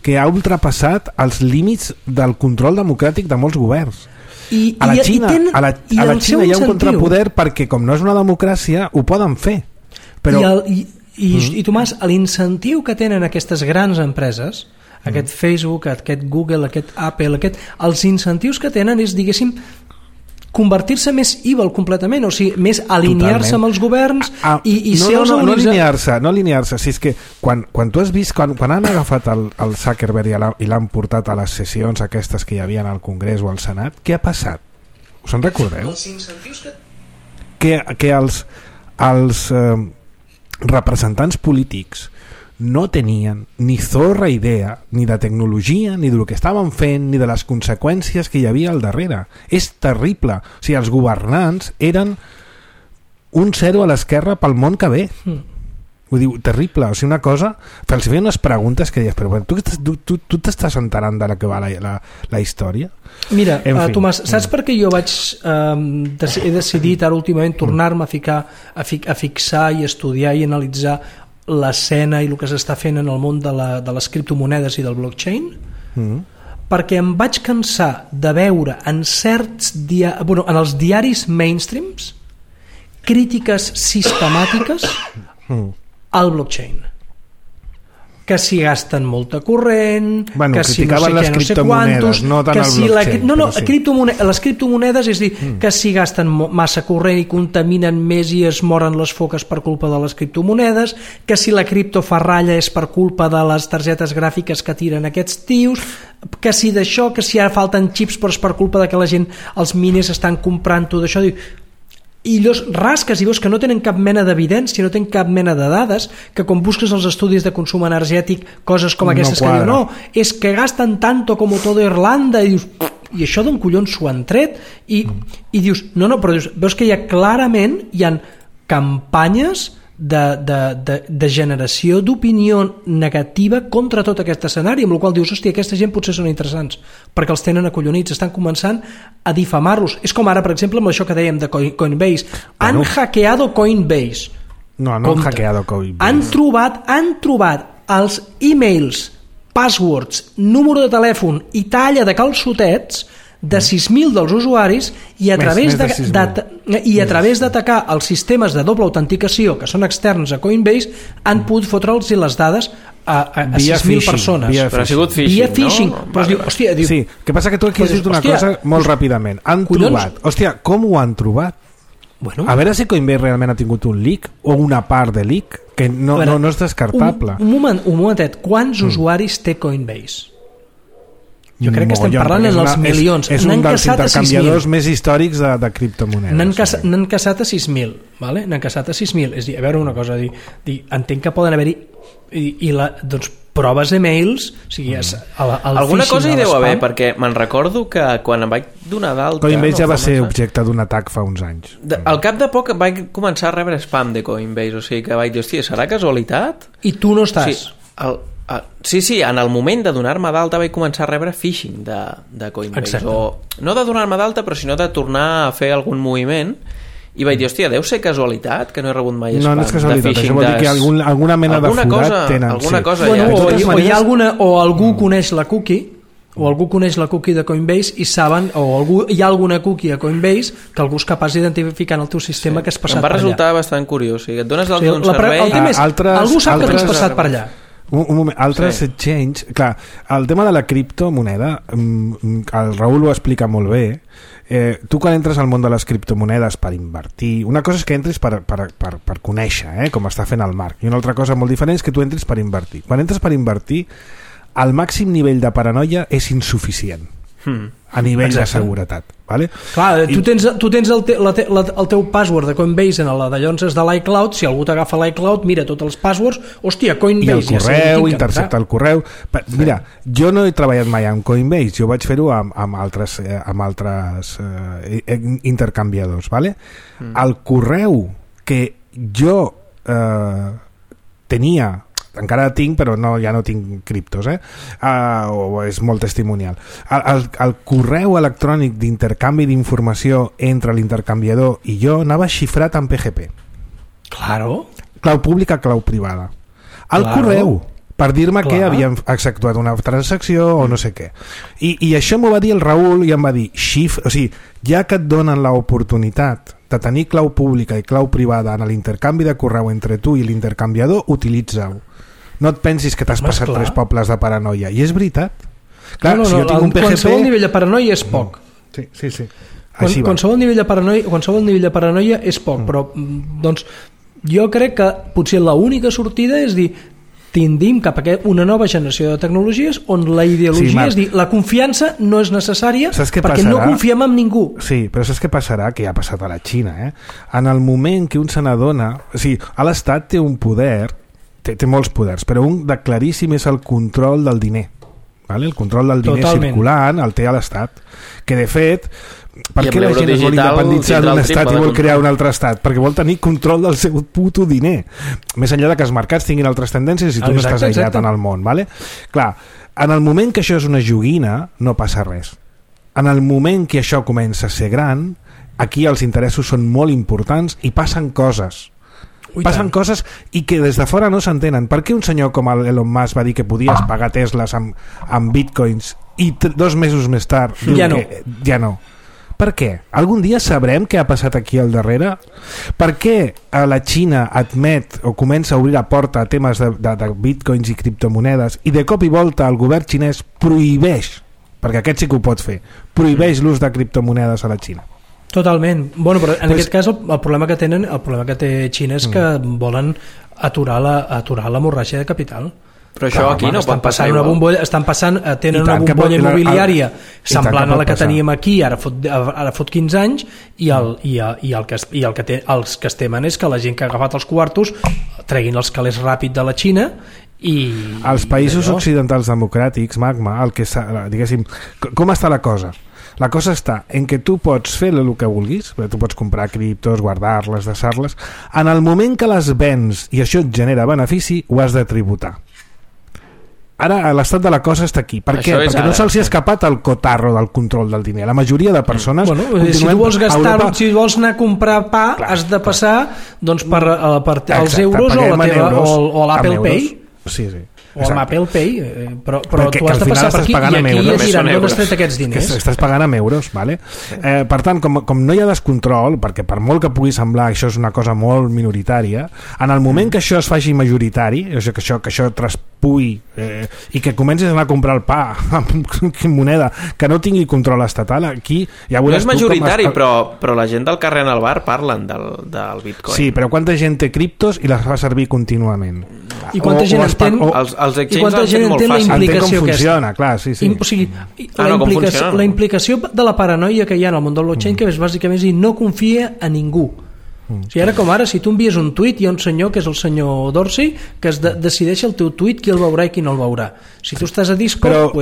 que ha ultrapassat els límits del control democràtic de molts governs. A la Xina hi ha un contrapoder perquè com no és una democràcia ho poden fer, però... I Tomàs, l'incentiu que tenen aquestes grans empreses, aquest Facebook, aquest Google, aquest Apple, els incentius que tenen és, diguéssim, convertir-se més evil completament, o sigui, més alinear-se amb els governs i ser els únics... No alinear-se, si és que quan tu has vist, quan han agafat el Zuckerberg i l'han portat a les sessions aquestes que hi havia al Congrés o al Senat, què ha passat? Us en recordeu? Els incentius que els representants polítics no tenien ni zorra idea ni de tecnologia, ni del que estaven fent, ni de les conseqüències que hi havia al darrere. És terrible. O sigui, els governants eren un zero a l'esquerra pel món que ve. Vull dir, terrible, o sigui, una cosa... Els feien unes preguntes que deies, però tu t'estàs enterant de la que va la història? Mira, Tomàs, saps per què jo he decidit ara últimament tornar-me a fixar i estudiar i analitzar l'escena i el que s'està fent en el món de les criptomonedes i del blockchain? Perquè em vaig cansar de veure en en els diaris mainstreams crítiques sistemàtiques al blockchain, que si gasten molta corrent, que si no sé què, no sé quantos, no tant el blockchain, les criptomonedes, és dir, que si gasten massa corrent i contaminen més i es moren les foques per culpa de les criptomonedes, que si la cripto fa ratlla és per culpa de les targetes gràfiques que tiren aquests tios, que si d'això, que si ara falten xips però és per culpa de que la gent, els miners estan comprant tot això. I llavors rasques i veus que no tenen cap mena d'evidència, no tenen cap mena de dades, que quan busques els estudis de consum energètic coses com aquestes que diuen, no, és que gasten tanto como todo Irlanda, i dius, i això d'on collons s'ho han tret? I dius, no, però veus que clarament hi ha campanyes de generació d'opinió negativa contra tot aquest escenari, amb la qual dius, hòstia, aquesta gent potser són interessants perquè els tenen acollonits, estan començant a difamar-los. És com ara, per exemple, amb això que dèiem de Coinbase. Han hackeado Coinbase. No han hackeado Coinbase. Han trobat els e-mails, passwords, número de telèfon i talla de calçotets de 6.000 dels usuaris i a través d'atacar els sistemes de doble autenticació que són externs a Coinbase han pogut fotre'ls les dades a 6.000 persones. Però ha sigut phishing, no? Però diu, hòstia, sí, que passa que tu aquí has dit una cosa molt ràpidament. Han trobat. Hòstia, com ho han trobat? Bueno, a veure si Coinbase realment ha tingut un leak o una part de leak, que no és descartable. Un momentet, quants usuaris té Coinbase? Jo crec que estem parlant en els milions. És un dels intercanviadors més històrics de criptomonedes. N'han caçat a 6.000, ¿vale? N'han caçat a 6.000. És dir, a veure una cosa, entenc que poden haver-hi doncs, proves emails, o sigui, alguna cosa hi deu haver, perquè me'n recordo que quan em vaig donar d'alta... Coinbase ja va ser objecte d'un atac fa uns anys. Al cap de poc vaig començar a rebre spam de Coinbase, o sigui que vaig dir, hòstia, serà casualitat? I tu no estàs? Sí, en el moment de donar-me d'alta vaig començar a rebre phishing de Coinbase. No de donar-me d'alta, però sinó de tornar a fer algun moviment, i vaig dir, hòstia, deu ser casualitat que no he rebut mai spam. No és casualitat, això vol dir que alguna mena de forat tenen. O algú coneix la cookie, o algú coneix la cookie de Coinbase i saben, o hi ha alguna cookie a Coinbase que algú és capaç d'identificar en el teu sistema que has passat per allà. Em va resultar bastant curiós, o sigui, et dones d'alta d'un servei... El tema és, algú sap que t'has passat per allà. Un moment, altres exchange, clar, el tema de la criptomoneda, el Raül ho explica molt bé. Tu quan entres al món de les criptomonedes per invertir, una cosa és que entris per conèixer com està fent el Marc, i una altra cosa molt diferent és que tu entris per invertir. Quan entres per invertir, el màxim nivell de paranoia és insuficient a nivell de seguretat, vale? Clar, tu tens el teu password de Coinbase en la d'allonses de l'iCloud. Si algú t'agafa l'iCloud, mira tots els passwords, hòstia, Coinbase, i el correu, intercepta el correu. Mira, jo no he treballat mai amb Coinbase, jo vaig fer-ho amb altres intercanviadors, vale? El correu que jo tenia, encara tinc, però ja no tinc criptos, o és molt testimonial. El correu electrònic d'intercanvi d'informació entre l'intercanviador i jo anava xifrat en PGP. Claro. Clau pública, clau privada. El correu, per dir-me que havien executat una transacció o no sé què. I això m'ho va dir el Raül i em va dir, o sigui, ja que et donen l'oportunitat de tenir clau pública i clau privada en l'intercanvi de correu entre tu i l'intercanviador, utilitza-ho. No et pensis que t'has passat 3 pobles de paranoia. I és veritat. Clar, si jo tinc un PGP... Qualsevol nivell de paranoia és poc. Sí. Qualsevol nivell de paranoia és poc, però doncs, jo crec que potser l'única sortida és dir, tendim cap a una nova generació de tecnologies on la ideologia, és dir, la confiança no és necessària perquè no confiem en ningú. Sí, però saps què passarà? Que ja ha passat a la Xina. En el moment que un se n'adona... O sigui, l'Estat té un poder, té molts poders, però un de claríssim és el control del diner. Vale? El control del diner circulant el té a l'Estat, que de fet Per què la gent es vol independitzar d'un estat i vol crear un altre estat? Perquè vol tenir control del seu puto diner. Més enllà de que els mercats tinguin altres tendències i tu no estàs aïllat en el món, ¿vale? Clar, en el moment que això és una joguina no passa res. En el moment que això comença a ser gran, aquí els interessos són molt importants i passen coses. Passen coses i que des de fora no s'entenen. Per què un senyor com Elon Musk va dir que podies pagar Teslas amb bitcoins i 2 mesos més tard ja no? Per què? Algun dia sabrem què ha passat aquí al darrere? Per què la Xina admet o comença a obrir la porta a temes de bitcoins i criptomonedes i de cop i volta el govern xinès prohibeix, perquè aquest sí que ho pot fer, prohibeix l'ús de criptomonedes a la Xina? Totalment. Bueno, però en aquest cas el problema que té Xina és que volen aturar l'hemorràgia de capital. Però això aquí no pot passar igual. Tenen una bombolla immobiliària semblant a la que teníem aquí ara fot 15 anys i els que es temen és que la gent que ha agafat els quartos treguin els calés ràpid de la Xina i... Els països occidentals democràtics, Magma, diguéssim, com està la cosa? La cosa està en que tu pots fer el que vulguis, tu pots comprar criptos, guardar-les, deixar-les. En el moment que les vens i això et genera benefici, ho has de tributar. Ara l'estat de la cosa està aquí. Per què? Perquè no se'ls ha escapat el cotarro del control del diner. La majoria de persones... si tu vols gastar, si vols anar a comprar pa, has de passar doncs, per els euros o l'Apple Pay. Sí. O amb Apple Pay, però tu has de passar per aquí i aquí es diran d'on has tret aquests diners. Estàs pagant amb euros, vale? Per tant, com no hi ha descontrol, perquè per molt que pugui semblar això és una cosa molt minoritària, en el moment que això es faci majoritari, que això traspui i que comencis a anar a comprar el pa amb moneda que no tingui control estatal, aquí ja veuràs... No és majoritari, però la gent del carrer en el bar parlen del Bitcoin. Sí, però quanta gent té criptos i les fa servir contínuament? I quanta gent entén els exchanges han fet molt fàcil. Entén com funciona, clar, sí. O sigui, la implicació de la paranoia que hi ha en el món del blockchain, que és bàsicament dir, no confia a ningú. O sigui, ara com ara, si tu envies un tuit, hi ha un senyor, que és el senyor Dorsey, que decideix el teu tuit qui el veurà i qui no el veurà. Si tu estàs a Discord,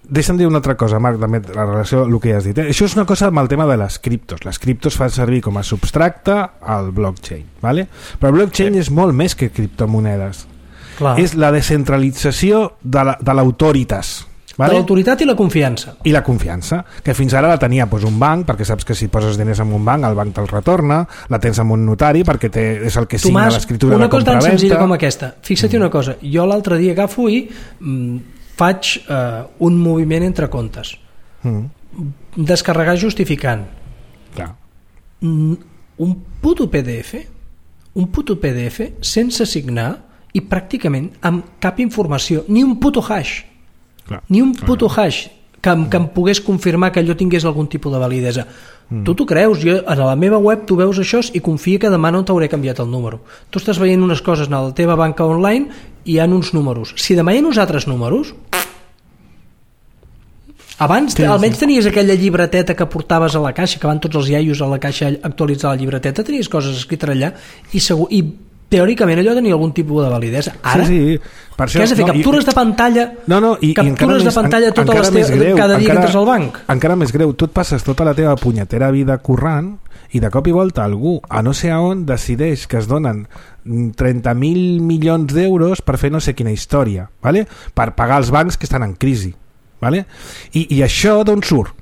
deixa'm dir una altra cosa, Marc, també la relació amb el que ja has dit. Això és una cosa amb el tema de les criptos. Les criptos fan servir com a substracte al blockchain, ¿vale? Però el blockchain és molt més que criptomonedes. Clar. És la descentralització de l'autoritas. Vale? De l'autoritat i la confiança. I la confiança, que fins ara la tenia un banc, perquè saps que si poses diners en un banc, el banc te'l retorna, la tens en un notari, perquè és el que signa l'escriptura de compra-venta. Una cosa tan senzilla com aquesta. Fixa't una cosa, jo l'altre dia agafo i faig un moviment entre comptes. Descarregar justificant. Clar. Un puto PDF sense signar i pràcticament amb cap informació, ni un puto hash. Clar. Ni un puto hash que em pogués confirmar que allò tingués algun tipus de validesa. Tu t'ho creus, jo a la meva web tu veus això i confia que demà no t'hauré canviat el número. Tu estàs veient unes coses a la teva banca online i hi ha uns números. Si demà hi ha uns altres números, abans almenys tenies aquella llibreteta que portaves a la caixa, que van tots els iaios a la caixa a actualitzar la llibreteta, tenies coses escrites allà i teòricament allò tenia algun tipus de validesa. Ara, sí. Per això, què has de fer? Captures de pantalla? Captures de pantalla cada dia que entres al banc? Encara més greu, tu et passes tota la teva punyetera vida currant i de cop i volta algú, a no sé on, decideix que es donen 30.000 milions d'euros per fer no sé quina història, ¿vale? Per pagar els bancs que estan en crisi, ¿vale? I això d'on surt?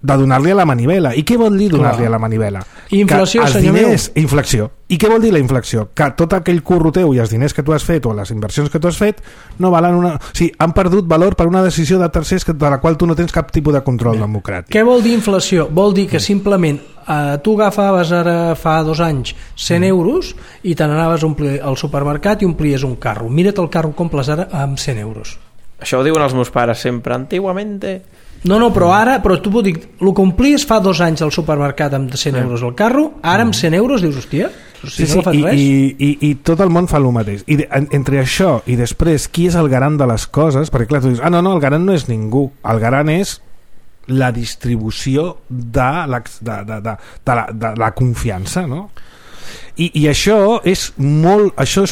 De donar-li a la manivela. I què vol dir donar-li a la manivela? Inflació, senyor meu. Inflació. I què vol dir la inflació? Que tot aquell curro teu i els diners que tu has fet o les inversions que tu has fet no valen una... O sigui, han perdut valor per una decisió de tercers de la qual tu no tens cap tipus de control democràtic. Què vol dir inflació? Vol dir que simplement tu agafaves ara fa 2 anys 100 euros i te n'anaves a omplir al supermercat i omplies un carro. Mira't el carro com comples ara amb 100 euros. Això ho diuen els meus pares sempre, antiguamente... No, però tu puc dir, el que omplies fa 2 anys al supermercat amb 100 euros al carro, ara amb 100 euros dius, hòstia, sí, no fas res. I tot el món fa el mateix. I entre això i després, qui és el garant de les coses? Perquè clar, tu dius, no, el garant no és ningú, el garant és la distribució de la confiança, no? I això és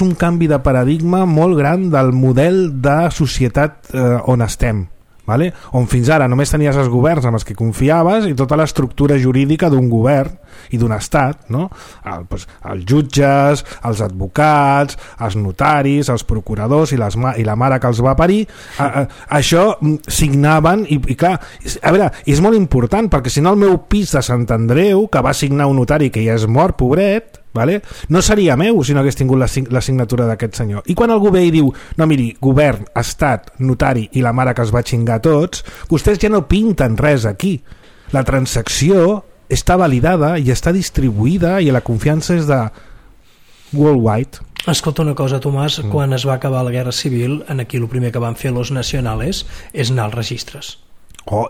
un canvi de paradigma molt gran del model de societat on estem vale? On fins ara només tenies els governs amb els que confiaves i tota l'estructura jurídica d'un govern i d'un estat, no? Els jutges, els advocats, els notaris, els procuradors i la mare que els va parir, això signaven i clar, a veure, és molt important perquè si no el meu pis de Sant Andreu, que va signar un notari que ja és mort, pobret, vale? No seria meu si no hagués tingut la signatura d'aquest senyor. I quan algú ve i diu, no miri, govern, estat, notari i la mare que els va xingar tots, vostès ja no pinten res aquí. La transacció està validada i està distribuïda i la confiança és de worldwide. Escolta una cosa, Tomàs, quan es va acabar la Guerra Civil, aquí el primer que van fer los nacionales és anar als registres.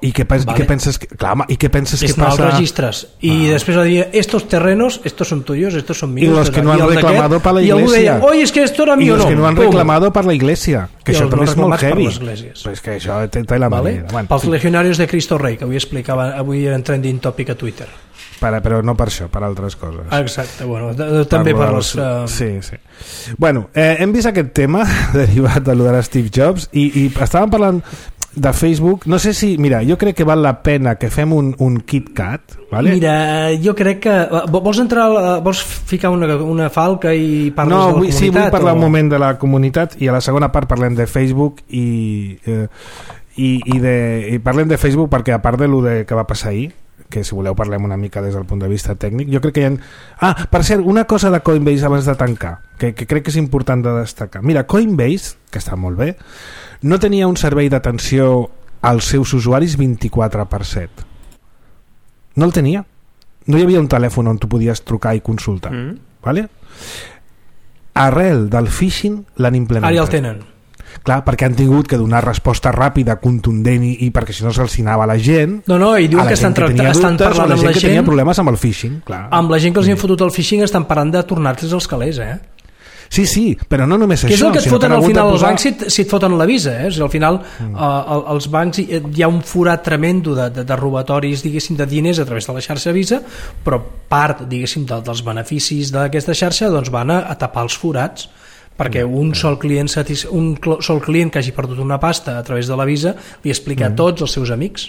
I què penses que passa? Als registres i després va dir, estos terrenos, estos son tuyos, estos son míos, y los que no han reclamado para la iglesia, y algú deia, oye, es que esto era mío, y los que no han reclamado para la iglesia, que això també és molt heavy, pues que això té la manera. Bueno, pels legionarios de Cristo Rei, que avui era en trending topic a Twitter, però no per això, per altres coses. Exacte, bueno, també per els... Sí. Bueno, hem vist aquest tema derivat de lo de Steve Jobs i estàvem parlant de Facebook, no sé si... Mira, jo crec que val la pena que fem un KitKat, ¿vale? Mira, jo crec que... Vols ficar una falca i parles de la comunitat? Sí, vull parlar un moment de la comunitat i a la segona part parlem de Facebook i parlem de Facebook perquè a part de lo que va passar ahir, que si voleu parlem una mica des del punt de vista tècnic, jo crec que hi ha... per cert, una cosa de Coinbase abans de tancar, que crec que és important de destacar. Mira, Coinbase, que està molt bé, no tenia un servei d'atenció als seus usuaris 24/7. No el tenia. No hi havia un telèfon on tu podies trucar i consultar. Vale? Arrel del phishing l'han implementat. Ara ja el tenen. Clar, perquè han tingut que donar resposta ràpida, contundent i perquè si no se'ls anava la gent. No, i diuen que estan parlant amb la gent que tenia problemes amb el phishing, clar. Amb la gent que els han fotut el phishing estan parlant de tornar-los els calés, Sí, però no només això. Que és el que et foten al final els bancs si et foten la visa, al final els bancs hi ha un forat tremendo de robatoris, diguéssim, de diners a través de la xarxa Visa, però part, diguéssim, dels beneficis d'aquesta xarxa doncs van a tapar els forats, perquè un sol client que hagi perdut una pasta a través de la Visa li explica a tots els seus amics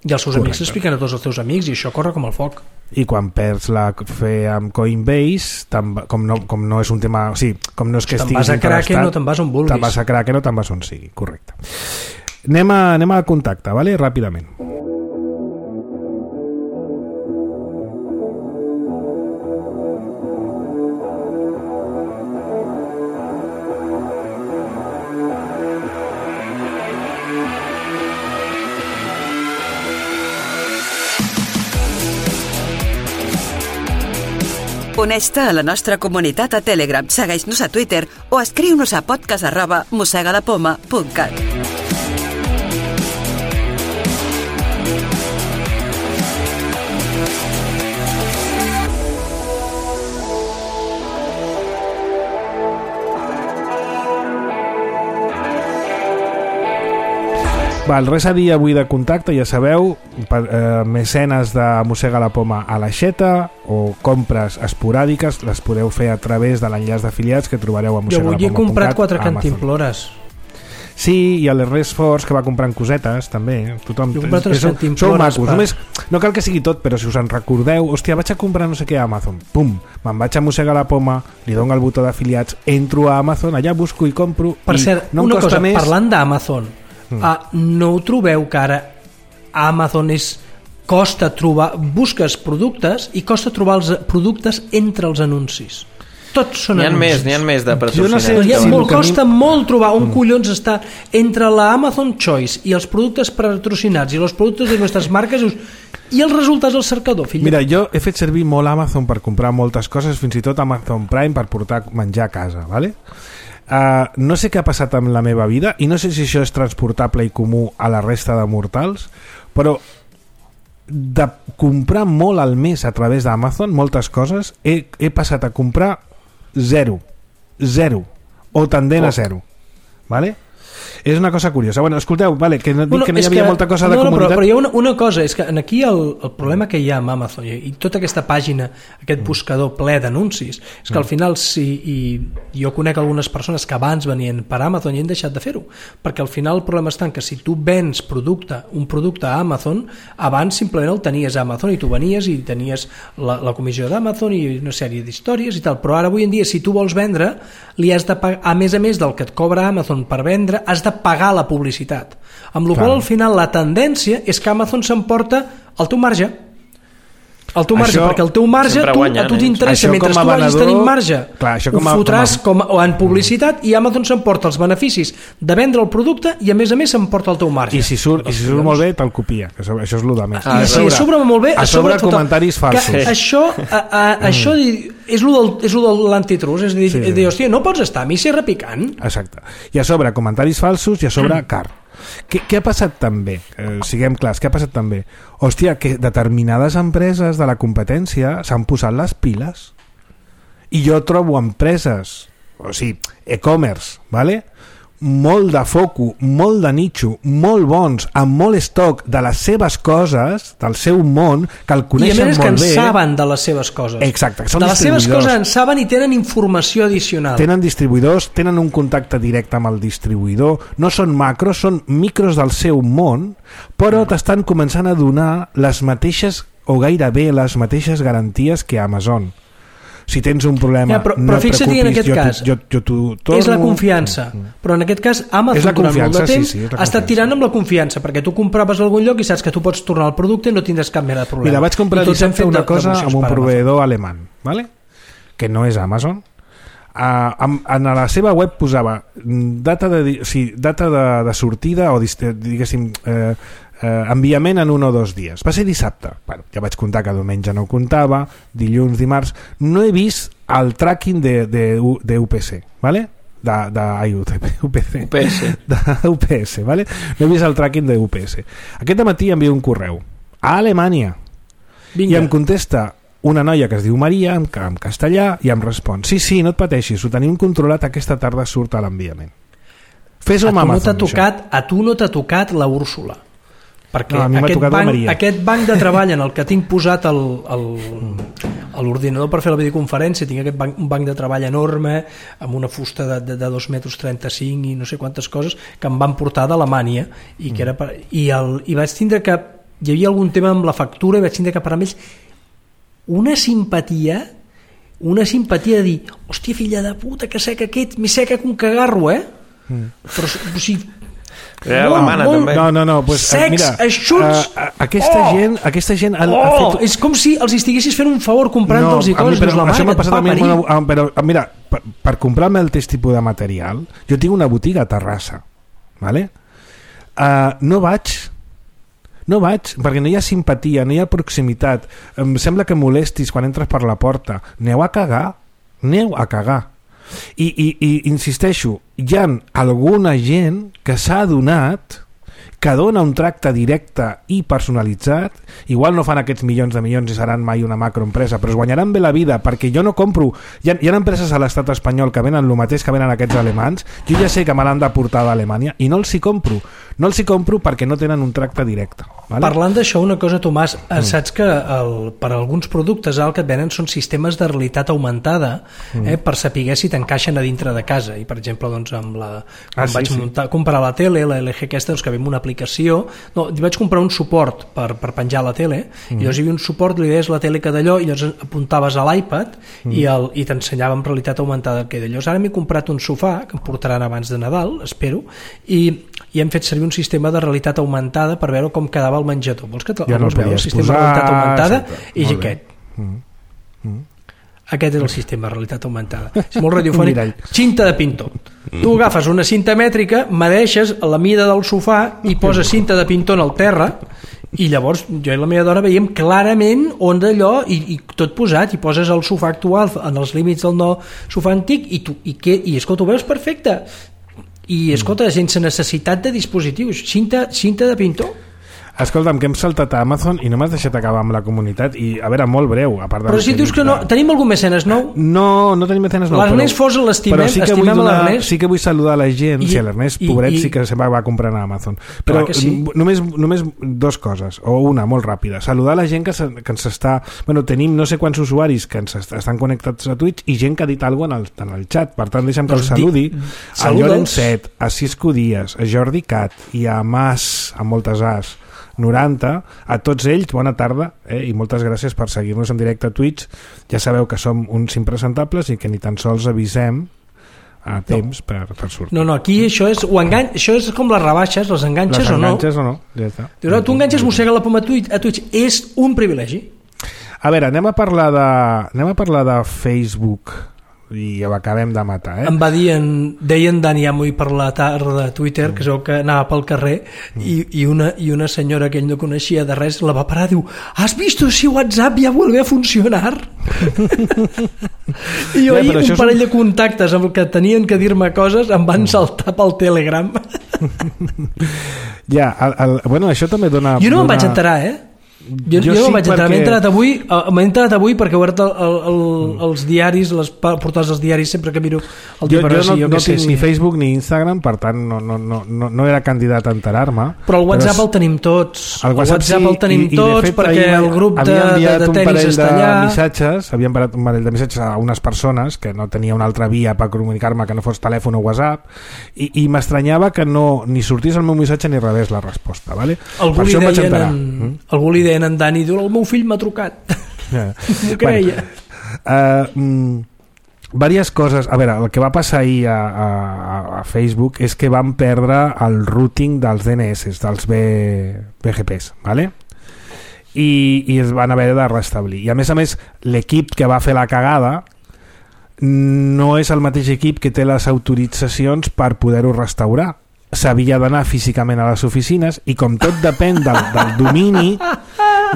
i els seus amics expliquen a tots els teus amics i això corre com el foc. I quan perds la fe amb Coinbase, com no és un tema, o sigui, com no és que estiguis interestat, no te'n vas on vulguis, te'n vas a Kraken o te'n vas on sigui, correcte. Anem a contacte, vale? Ràpidament. Uneix-te a la nostra comunitat a Telegram, segueix-nos a Twitter o escriu-nos a podcast@mossegalapoma.cat. Res a dir avui de contacte, ja sabeu, mecenes de Mossega la Poma a l'aixeta o compres esporàdiques les podeu fer a través de l'enllaç d'afiliats que trobareu a mossegalapoma.cat. Jo avui he comprat 4 cantimplores. Sí, i a les Force que va comprant cosetes també. Tothom, jo he comprat 3 cantimplores. Sou macos, només, no cal que sigui tot, però si us en recordeu, hòstia, vaig a comprar no sé què a Amazon, pum, me'n vaig a Mossega la Poma, li dono el botó d'afiliats, entro a Amazon, allà busco i compro. Per cert, no una cosa, més... parlant d'Amazon, no ho trobeu que ara Amazon costa trobar, busques productes i costa trobar els productes entre els anuncis, tots són anuncis. N'hi ha més de patrocinats. Costa molt trobar un collons està entre la Amazon Choice i els productes patrocinats i els productes de nostres marques i els resultats al cercador, fill. Mira, jo he fet servir molt Amazon per comprar moltes coses, fins i tot Amazon Prime per portar menjar a casa, vale? No sé què ha passat amb la meva vida i no sé si això és transportable i comú a la resta de mortals, però de comprar molt al mes a través d'Amazon, moltes coses, he passat a comprar zero o tendent a zero, vale? És una cosa curiosa. Bueno, escolteu, vale, que no dic que no hi havia molta cosa de comunitat. Però hi ha una cosa, és que aquí el problema que hi ha amb Amazon i tota aquesta pàgina, aquest buscador ple d'anuncis, és que al final i jo conec algunes persones que abans venien per Amazon i han deixat de fer-ho, perquè al final el problema està en que si tu vens un producte a Amazon, abans simplement el tenies a Amazon i tu venies i tenies la comissió d'Amazon i una sèrie d'històries i tal, però ara avui en dia si tu vols vendre, li has de pagar, a més del que et cobra Amazon per vendre, has de pagar la publicitat, amb la qual al final la tendència és que Amazon s'emporta el teu marge, perquè el teu marge a tu t'interessa, mentre tu vagis tenint marge ho fotràs en publicitat i Amazon s'emporta els beneficis de vendre el producte i a més s'emporta el teu marge i si surt molt bé te'l copia, que això és el de més. I si surt molt bé a sobre comentaris falsos, això és el de l'antitrust, és a dir, hòstia, no pots estar a mi si repicant. Exacte, i a sobre comentaris falsos i a sobre car. Què ha passat també? Siguem clars, què ha passat també? Hòstia, que determinades empreses de la competència s'han posat les piles i jo trobo empreses, o sigui, e-commerce, ¿vale? Molt de foco, molt de nicho, molt bons, amb molt estoc de les seves coses, del seu món, que el coneixen molt bé. I a més que en saben de les seves coses. Exacte, són de les seves coses en saben i tenen informació addicional. Tenen distribuïdors, tenen un contacte directe amb el distribuïdor, no són macros, són micros del seu món, però t'estan començant a donar les mateixes, o gairebé les mateixes garanties que Amazon. Si tens un problema, però no et fixa't en aquest cas, és la confiança, però en aquest cas Amazon durant molt de temps ha estat tirant amb la confiança, perquè tu compraves a algun lloc i saps que tu pots tornar el producte i no tindràs cap mena de problema. Mira, vaig comprar dissabte una cosa amb un proveïdor alemany, ¿vale? Que no és Amazon. En la seva web posava data de sortida o diguéssim enviament en 1 o 2 dies. Va ser dissabte. Bueno, ja vaig comptar que diumenge no comptava, dilluns, dimarts. No he vist el tracking de UPC, ¿vale? UPS, ¿vale? No he vist el tracking de UPS. Aquest matí envio un correu a Alemanya i em contesta una noia que es diu Maria en castellà i em respon: sí, no et pateixis, ho tenim controlat, aquesta tarda surt a l'enviament. Fes-ho amb Amazon. A tu no t'ha tocat la Úrsula, perquè no, aquest banc de treball en el que tinc posat a l'ordinador per fer la videoconferència, tinc un banc de treball enorme amb una fusta de 2,35 metres i no sé quantes coses que em van portar d'Alemanya i vaig tindre que hi havia algun tema amb la factura i vaig tindre que parar amb ells una simpatia de dir, hòstia, filla de puta, que seca aquest, més seca que un cagarro, però o sigui, no, pues, secs, mira, eixuts, aquesta gent ha fet... és com si els estiguessis fent un favor comprant-los i coses, però això m'ha passat a mi, però mira, per comprar-me el test tipus de material, jo tinc una botiga a Terrassa, ¿vale? No vaig, perquè no hi ha simpatia, no hi ha proximitat, em sembla que molestis quan entres per la porta, aneu a cagar. I insisteixo, hi ha alguna gent que s'ha adonat que dona un tracte directe i personalitzat. Igual no fan aquests milions de milions i seran mai una macroempresa, però es guanyaran bé la vida, perquè jo no compro. Hi ha empreses a l'estat espanyol que venen el mateix que venen aquests alemans. Jo ja sé que me l'han de portar d'Alemanya i no els hi compro. No els hi compro perquè no tenen un tracte directe. Vale? Parlant d'això, una cosa, Tomàs, saps que per alguns productes el que et venen són sistemes de realitat augmentada per saber si t'encaixen a dintre de casa. I, per exemple, doncs, quan vaig comprar la tele, la LG aquesta, doncs, que ve amb una aplicació, vaig comprar un suport per penjar a la tele, i llavors hi havia un suport, li deies la tele que d'allò, i llavors apuntaves a l'iPad i t'ensenyava en realitat augmentada el que d'allò. Ara m'he comprat un sofà, que em portaran abans de Nadal, espero, i hem fet servir un sistema de realitat augmentada per veure com quedava el menjador. Vols que vols veure el sistema de realitat augmentada? I aquest. Aquest és el sistema de realitat augmentada. És molt radiofònic. Cinta de pintor. Tu agafes una cinta mètrica, medeixes la mida del sofà i poses cinta de pintor en el terra, i llavors jo i la meva dona veiem clarament on d'allò, i tot posat, i poses el sofà actual en els límits del nou sofà antic, i escolta, ho veus perfecte. I escolta, sense necessitat de dispositius, cinta de pintor. Escolta'm, que hem saltat a Amazon i no m'has deixat acabar amb la comunitat i, a veure, molt breu, a part de... Però si dius que no... Tenim algun mecenes nou? No tenim mecenes nou. L'Ernest Fos l'estimem, estimem a l'Ernest. Sí que vull saludar la gent, sí, l'Ernest, pobret, sí que se va comprar a Amazon. Però sí. només dues coses, o una, molt ràpida. Saludar la gent que ens està... Bueno, tenim no sé quants usuaris que ens estan connectats a Twitch i gent que ha dit alguna cosa en el xat. Per tant, deixa'm que els saludi. A Llorenç Set, a Cisco Díaz, a Jordi Cat i a Mas, a moltes As, 90, a tots ells, bona tarda, i moltes gràcies per seguir-nos en directe a Twitch. Ja sabeu que som uns impresentables i que ni tan sols avisem a temps per sortir. No, aquí això és això és com les rebaixes, les enganxes o no. Les enganxes o no, ja està. Tu enganxes, mossega la poma a Twitch, és un privilegi. A veure, anem a parlar de Facebook i ho acabem de matar, Em va dir, deien Dani Amoy per la tarda a Twitter, que es veu que anava pel carrer i una senyora que ell no coneixia de res la va parar, diu, ¿has visto si WhatsApp ya vuelve a funcionar? I jo ahir un parell de contactes amb el que tenien que dir-me coses em van saltar pel Telegram. Ja, bueno, això també dona... Jo no me'n vaig enterar, Jo no vaig entrar, m'he entrat avui perquè he obert els diaris, les portades dels diaris sempre que miro el diari. Jo no tinc ni Facebook ni Instagram, per tant no era candidat a enterar-me. Però el WhatsApp el tenim tots. El WhatsApp el tenim tots perquè el grup de tenis està allà. Havia enviat un parell de missatges a unes persones que no tenia una altra via per comunicar-me que no fos telèfon o WhatsApp i m'estranyava que no ni sortís el meu missatge ni rebés la resposta, vale? Per això em vaig enterar. Algú li deia en Dani, diu, el meu fill m'ha trucat. M'ho creia. Diverses coses. A veure, el que va passar ahir a Facebook és que van perdre el routing dels DNS, dels BGPs, ¿vale? I es van haver de restablir. I a més, l'equip que va fer la cagada no és el mateix equip que té les autoritzacions per poder-ho restaurar. S'havia d'anar físicament a les oficines i com tot depèn del domini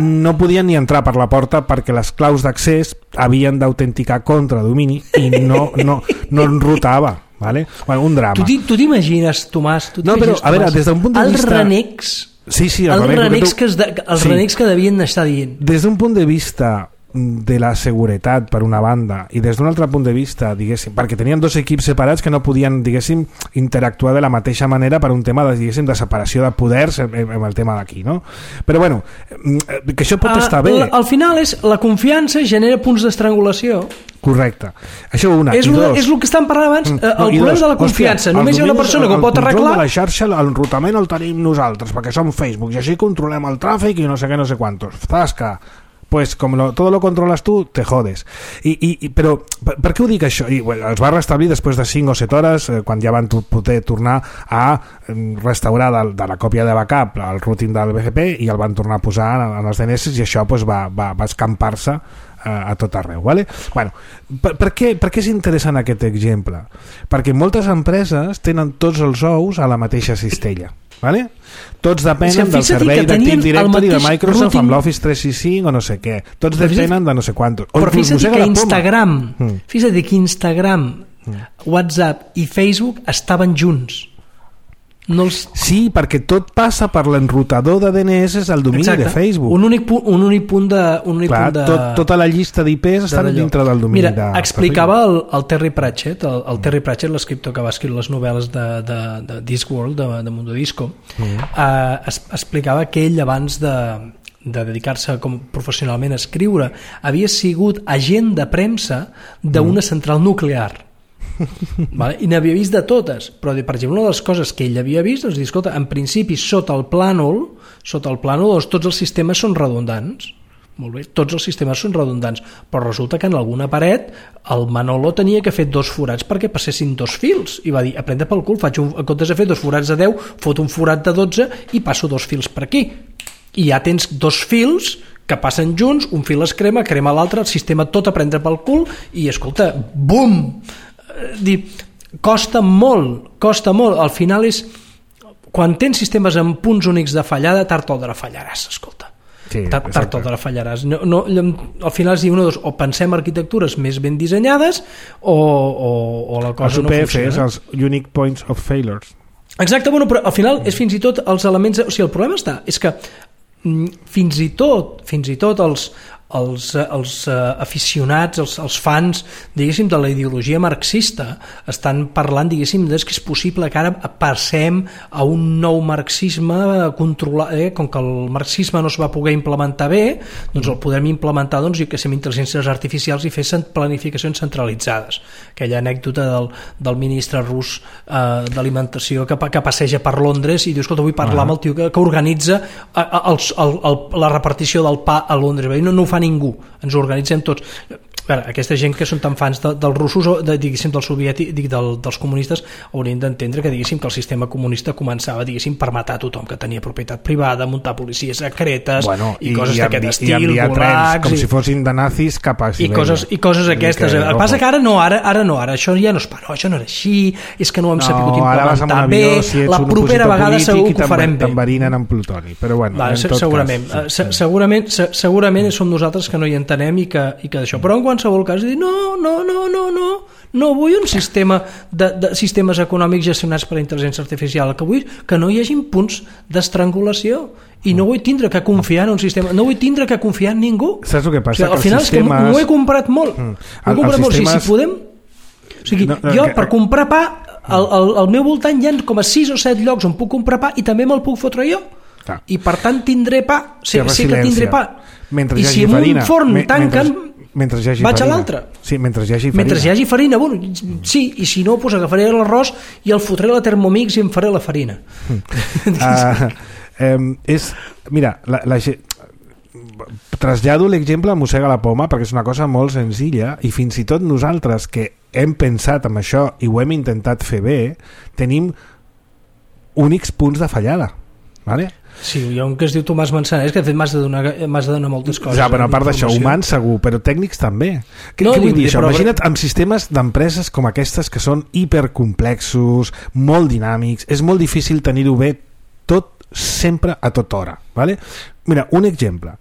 no podien ni entrar per la porta perquè les claus d'accés havien d'autenticar contra domini i no enrutava, ¿vale? Bueno, un drama. Tu t'imagines, Tomàs? No, però a veure, des d'un punt de vista... Els renecs... Sí, els renecs que devien estar dient. Des d'un punt de vista de la seguretat per una banda i des d'un altre punt de vista, diguéssim, perquè tenien dos equips separats que no podien, diguéssim, interactuar de la mateixa manera per un tema de, diguéssim, de separació de poders amb el tema d'aquí, no? Però bueno, que això pot estar bé. Al final és la confiança genera punts d'estrangulació. Correcte. Això una. És el que estan parlant abans, el problema de la confiança. Només hi ha una persona que ho pot arreglar. El control de la xarxa, l'enrutament el tenim nosaltres, perquè som Facebook, i així controlem el tràfic i no sé què, no sé quantos. Zasca. Pues como todo lo controlas tú, te jodes. Però per què ho dic això? I, bueno, els va restablir després de 5 o 7 hores, quan ja van poder tornar a restaurar de la còpia de backup el routing del BGP i el van tornar a posar en els DNS i això pues, va escampar-se a tot arreu, ¿vale? Bueno, per què és interessant aquest exemple? Perquè moltes empreses tenen tots els ous a la mateixa cistella, ¿vale? Tots depenen del servei d'Active Directory de Microsoft amb l'Office 365 o no sé què. Tots depenen de no sé quantos. Però fixa't que Instagram, WhatsApp i Facebook estaven junts. Sí, perquè tot passa per l'enrutador de DNS al domini de Facebook. Un únic punt de... Tota la llista d'IPs estan dintre del domini de Facebook. Explicava el Terry Pratchett, Terry Pratchett, l'escriptor que va escriure les novel·les de Discworld, de Mundo Disco, explicava que ell abans de dedicar-se professionalment a escriure havia sigut agent de premsa d'una central nuclear. Vale? I n'havia vist de totes, però per exemple una de les coses que ell havia vist, doncs, escolta, en principi sota el plànol doncs, tots els sistemes són redundants. Molt bé, tots els sistemes són redundants, però resulta que en alguna paret el Manolo tenia que fer 2 forats perquè passessin 2 fils i va dir, aprenda pel cul, en comptes de fer 2 forats de 10 fot un forat de 12 i passo 2 fils per aquí i ja tens 2 fils que passen junts, un fil es crema l'altre, el sistema tot a prendre pel cul i escolta, bum! Costa molt, al final és quan tens sistemes amb punts únics de fallada, tard o d'hora fallaràs, escolta, tard o d'hora fallaràs. Al final es diu o pensem arquitectures més ben dissenyades o la cosa no funciona. Els UPFs, els Unique Points of Failures. Exacte, bueno, però al final és fins i tot els elements... O sigui, el problema és que fins i tot els aficionats, els fans, diguéssim, de la ideologia marxista estan parlant, diguéssim, que és possible que ara passem a un nou marxisme controlat, com que el marxisme no es va poder implementar bé, doncs el podem implementar, doncs, amb intel·ligències artificials i fer planificacions centralitzades. Aquella anècdota del ministre rus d'alimentació que passeja per Londres i diu, escolta, vull parlar amb el tio que organitza la repartició del pa a Londres. No ho fa ningú, ens ho organitzem tots. Aquesta gent que són tan fans dels russos, diguéssim, del soviètic, dels comunistes, haurien d'entendre que, diguéssim, que el sistema comunista començava, diguéssim, per matar tothom que tenia propietat privada, muntar policies secretes i coses d'aquest estil, i enviar trens com si fossin de nazis cap a Sibèria. I coses aquestes. El que passa que ara no, això ja no es paró, això no era així, és que no ho hem sabut implementar bé, la propera vegada segur que ho farem bé. T'enverinen amb plutoni, però bueno, segurament som nosaltres que no hi entenem i que d'això, però en qualsevol cas dir no vull un sistema de sistemes econòmics gestionats per la intel·ligència artificial, que vull que no hi hagi punts d'estrangulació i no vull tindre que confiar en un sistema, no vull tindre que confiar en ningú. Saps el que passa? Al final és que m'ho he comprat molt, si podem, o sigui, jo per comprar pa al meu voltant hi ha com a 6 o 7 llocs on puc comprar pa i també me'l puc fotre jo i per tant tindré pa, sé que tindré pa, i si en un forn tanquen vaig a l'altre. Sí, mentre hi hagi farina. Mentre hi hagi farina, bueno, sí, i si no, doncs agafaré l'arròs i el fotré a la Thermomix i em faré la farina. Mira, trasllado l'exemple a Mossega la Poma perquè és una cosa molt senzilla i fins i tot nosaltres que hem pensat en això i ho hem intentat fer bé, tenim únics punts de fallada, ¿vale? Sí, hi ha un que es diu Tomàs Manzanares que de fet m'has de donar moltes coses. Ja, però a part d'això, humans segur, però tècnics també. Què vull dir això? Imagina't amb sistemes d'empreses com aquestes que són hipercomplexos, molt dinàmics, és molt difícil tenir-ho bé tot sempre a tota hora, ¿vale? Mira, un exemple.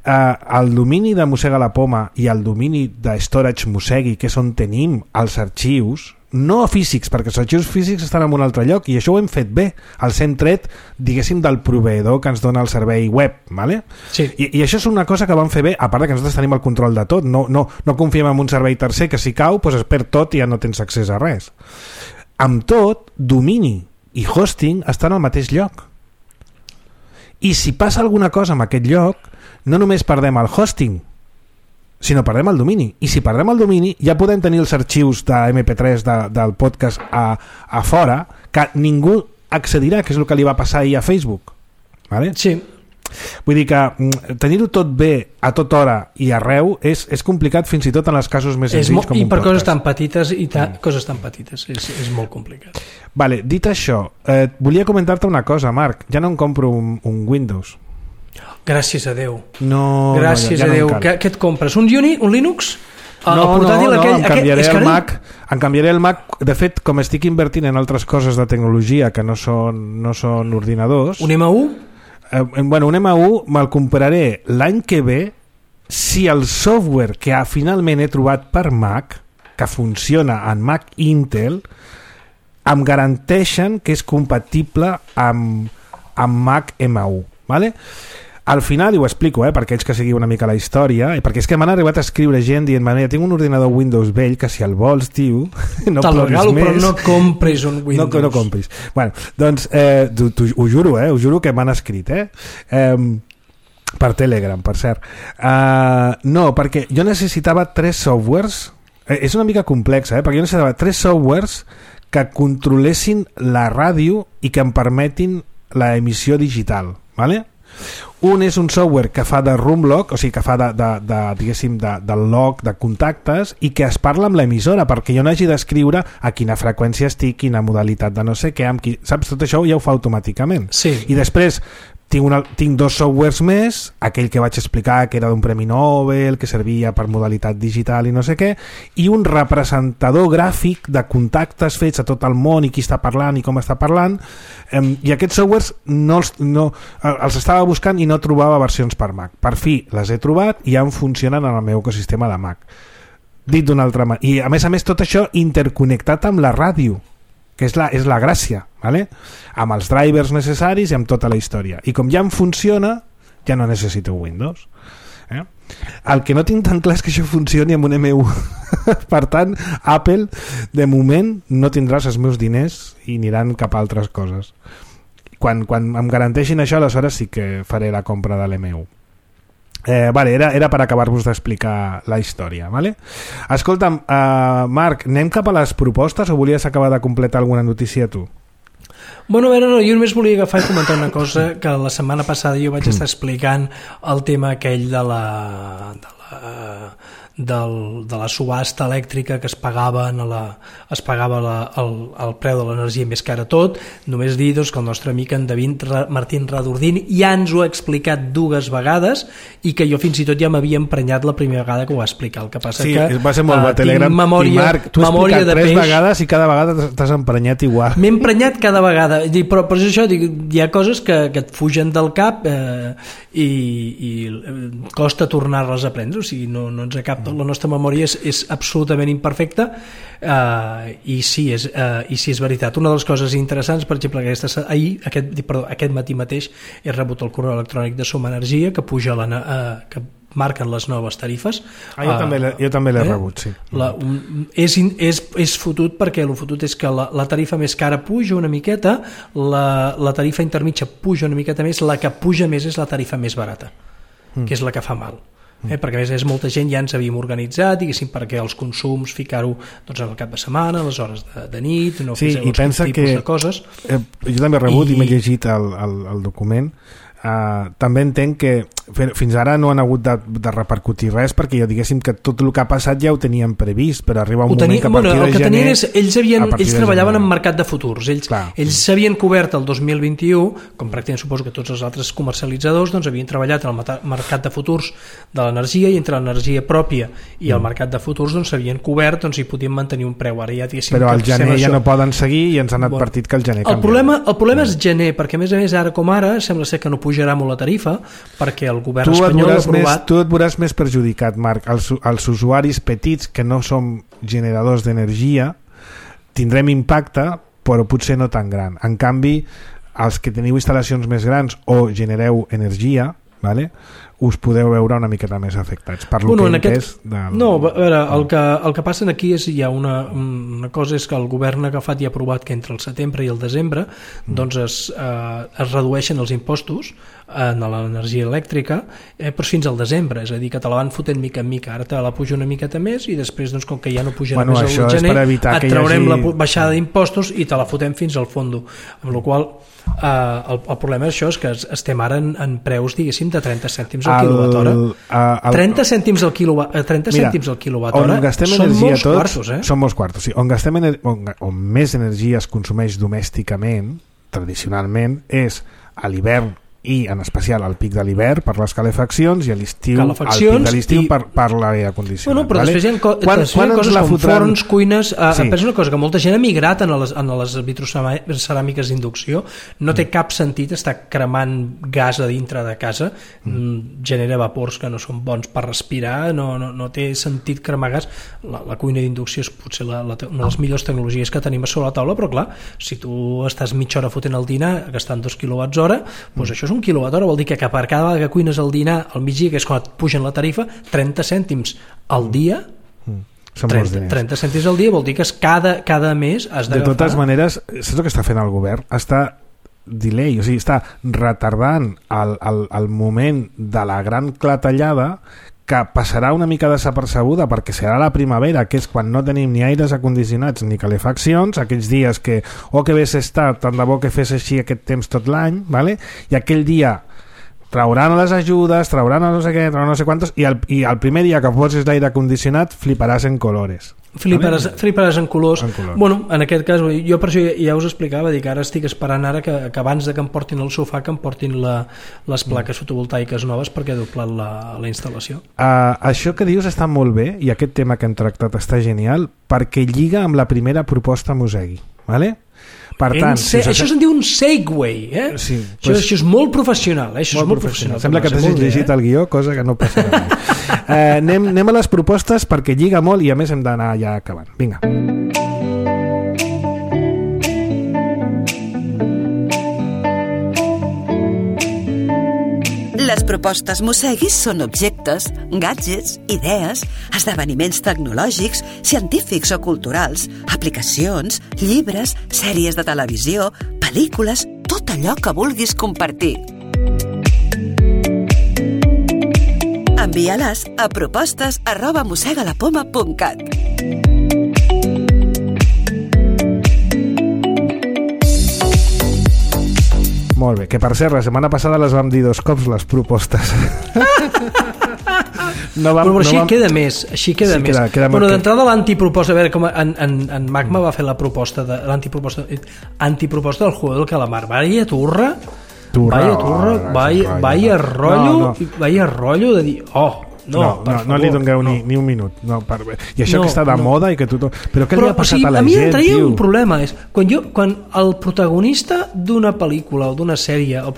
El domini de Mossega la Poma i el domini de Storage Mossegui, que és on tenim els arxius, no físics, perquè els arxius físics estan en un altre lloc i això ho hem fet bé, els hem tret, diguéssim, del proveïdor que ens dona el servei web, ¿vale? Sí. I això és una cosa que vam fer bé, a part que nosaltres tenim el control de tot, no confiem en un servei tercer que si cau doncs es perd tot i ja no tens accés a res. Amb tot, domini i hosting estan al mateix lloc i si passa alguna cosa en aquest lloc no només perdem el hosting sinó perdem el domini, i si perdem el domini ja podem tenir els arxius de MP3 del podcast a fora que ningú accedirà, que és el que li va passar ahir a Facebook, ¿vale? Sí. Vull dir que tenir-ho tot bé a tota hora i arreu és complicat fins i tot en els casos més senzills com un podcast. I per coses tan petites coses tan petites, és molt complicat. Vale, dit això, volia comentar-te una cosa, Marc, ja no em compro un Windows. Gràcies a Déu. Gràcies a Déu. Què et compres? Un Linux? Em canviaré el Mac. De fet, com estic invertint en altres coses de tecnologia que no són ordinadors... Un M1? Un M1 me'l compraré l'any que ve si el software que finalment he trobat per Mac, que funciona en Mac Intel, em garanteixen que és compatible amb Mac M1, ¿vale? Al final, i ho explico, per aquells que seguiu una mica la història, perquè és que m'han arribat a escriure gent dient, tinc un ordinador Windows vell que si el vols, tio, no ploris més. Però no compris un Windows. No compris. Bueno, doncs, ho juro que m'han escrit, per Telegram, per cert. No, perquè jo necessitava 3 softwares, és una mica complexa, perquè jo necessitava 3 softwares que controlessin la ràdio i que em permetin la emissió digital, ¿vale? Un és un software que fa de room log, o sigui que fa diguéssim, del log de contactes i que es parla amb l'emissora perquè jo no hagi d'escriure a quina freqüència estic, quina modalitat de no sé què, saps? Tot això ja ho fa automàticament. Sí. I després tinc 2 softwares més, aquell que vaig explicar que era d'un Premi Nobel, que servia per modalitat digital i no sé què, i un representador gràfic de contactes fets a tot el món i qui està parlant i com està parlant, i aquests softwares els estava buscant i no trobava versions per Mac. Per fi les he trobat i ja funcionen en el meu ecosistema de Mac. Dit d'una altra manera. I a més tot això interconnectat amb la ràdio, que és la gràcia, ¿vale? Amb els drivers necessaris i amb tota la història. I com ja em funciona, ja no necessito Windows. El que no tinc tan clar és que això funcioni amb un M1. Per tant, Apple de moment no tindràs els meus diners i aniran cap a altres coses. Quan em garanteixin això, aleshores sí que faré la compra de l'M1. Vale, era per acabar-vos d'explicar la història, vale? Escolta'm, Marc, anem cap a les propostes o volies acabar de completar alguna notícia tu? Bueno, a veure, no, jo només volia agafar i comentar una cosa, que la setmana passada jo vaig estar explicant el tema aquell de la subhasta elèctrica que es pagava el preu de l'energia més cara tot. Només dir doncs, que el nostre amic en David Martín Radordín ja ens ho ha explicat 2 vegades i que jo fins i tot ja m'havia emprenyat la primera vegada que ho va explicar. El que passa sí, que va ser molt bo Telegram. Memòria, i Marc, tu has explicat 3 vegades i cada vegada t'has emprenyat igual. M'he emprenyat cada vegada, però per això dic, hi ha coses que et fugen del cap i costa tornar-les a prendre, o sigui, no ens acaba. La nostra memòria és absolutament imperfecta i sí és veritat. Una de les coses interessants, per exemple, aquest matí mateix he rebut el correu electrònic de Som Energia que puja que marquen les noves tarifes. Jo també l'he rebut, sí. És fotut perquè el fotut és que la tarifa més cara puja una miqueta, la tarifa intermitja puja una miqueta més, la que puja més és la tarifa més barata, que és la que fa mal. Perquè a més molta gent ja ens havíem organitzat, diguéssim, perquè els consums ficar-ho doncs, al cap de setmana, a les hores de nit, no sí, i pensa tipus de coses. Jo també he rebut i m'he llegit el document. També entenc que fins ara no han hagut de repercutir res perquè ja diguéssim que tot el que ha passat ja ho teníem previst, però arriba un moment que a partir de gener... Ells treballaven en mercat de futurs, ells s'havien cobert el 2021, com pràcticament suposo que tots els altres comercialitzadors doncs havien treballat en el mercat de futurs de l'energia i entre l'energia pròpia i el mercat de futurs doncs s'havien cobert i podien mantenir un preu. Ara ja però al gener ja no poden seguir i ens han advertit que el gener canviarà. El problema és gener, perquè a més ara com ara sembla ser que no pujarà molt la tarifa perquè el govern espanyol ha aprovat... Tu et veuràs més perjudicat, Marc. Els usuaris petits que no som generadors d'energia tindrem impacte, però potser no tan gran. En canvi, els que teniu instal·lacions més grans o genereu energia, vale? Us podeu veure una miqueta més afectats per lo que he entès No, a veure, el que passa aquí és hi ha una cosa és que el govern ha agafat i ha aprovat que entre el setembre i el desembre doncs es redueixen els impostos en l'energia elèctrica però fins al desembre, és a dir, que te la van fotent mica en mica, ara te la puja una miqueta més i després doncs, com que ja no pujarà més al gener et traurem la baixada d'impostos i te la fotem fins al fondo, amb la qual el problema és això, és que estem ara en preus, diguéssim, de 30 cèntims al quilowatt hora. 30 cèntims al quilowatt hora són molts quartos, són molts quartos, sí. On més energia es consumeix domèsticament, tradicionalment, és a l'hivern i en especial al pic de l'hivern per les calefaccions i a l'estiu al pic de l'estiu per l'aire condicionat. Bueno, però després hi ha coses com forns, cuines... Pensa una cosa, que molta gent ha migrat en les vitroceràmiques d'inducció, no té cap sentit estar cremant gas a dintre de casa, genera vapors que no són bons per respirar, no té sentit cremar gas. La cuina d'inducció és potser una de les millors tecnologies que tenim a sobre la taula, però clar, si tu estàs mitja hora fotent el dinar gastant 2 kWh, doncs això és 1 kWh, vol dir que per cada vegada que cuines el dinar al migdia, que és quan et pugen la tarifa, 30 cèntims al dia, 30 cèntims al dia vol dir que cada mes has d'agafar. De totes maneres, saps el que està fent el govern? Està delay, o sigui, està retardant el moment de la gran clatellada que passarà una mica desapercebuda perquè serà la primavera, que és quan no tenim ni aires acondicionats ni calefaccions, aquells dies que que hagués estat, tant de bo que fes així aquest temps tot l'any, vale? I aquell dia trauran les ajudes, trauran no sé què, trauran no sé quantos, i el primer dia que posis l'aire condicionat fliparàs en colores. Fliparàs en colors. Bueno, en aquest cas, jo per això ja us explicava, dic, ara estic esperant ara que abans de que em portin el sofà, que em portin les plaques fotovoltaiques noves perquè he doblat la instal·lació. Això que dius està molt bé i aquest tema que hem tractat està genial perquè lliga amb la primera proposta Mosegui, vale? Per tant, això se'n diu un segue, sí, això és molt professional, això és molt professional. Sembla que t'has llegit el guió, cosa que no passarà mai. Anem a les propostes perquè lliga molt i a més hem d'anar ja acabant. Vinga. Les propostes Mosseguis són objectes, gadgets, idees, esdeveniments tecnològics, científics o culturals, aplicacions, llibres, sèries de televisió, pel·lícules, tot allò que vulguis compartir. Envia-les a propostes@mossegalapoma.cat. Molt bé, que per cert, la setmana passada les vam dir 2 cops, les propostes. Però així queda més. Bueno, d'entrada l'antiproposta, a veure, com en Magma va fer la proposta de l'antiproposta del juego del calamar. Vaya turra, vaya rotllo de dir, no li dongueu ni un minut. I això que està de moda i que tothom... Però què li ha passat a la gent, tio? A mi em traia un problema, és quan el protagonista d'una pel·lícula o d'una sèrie, el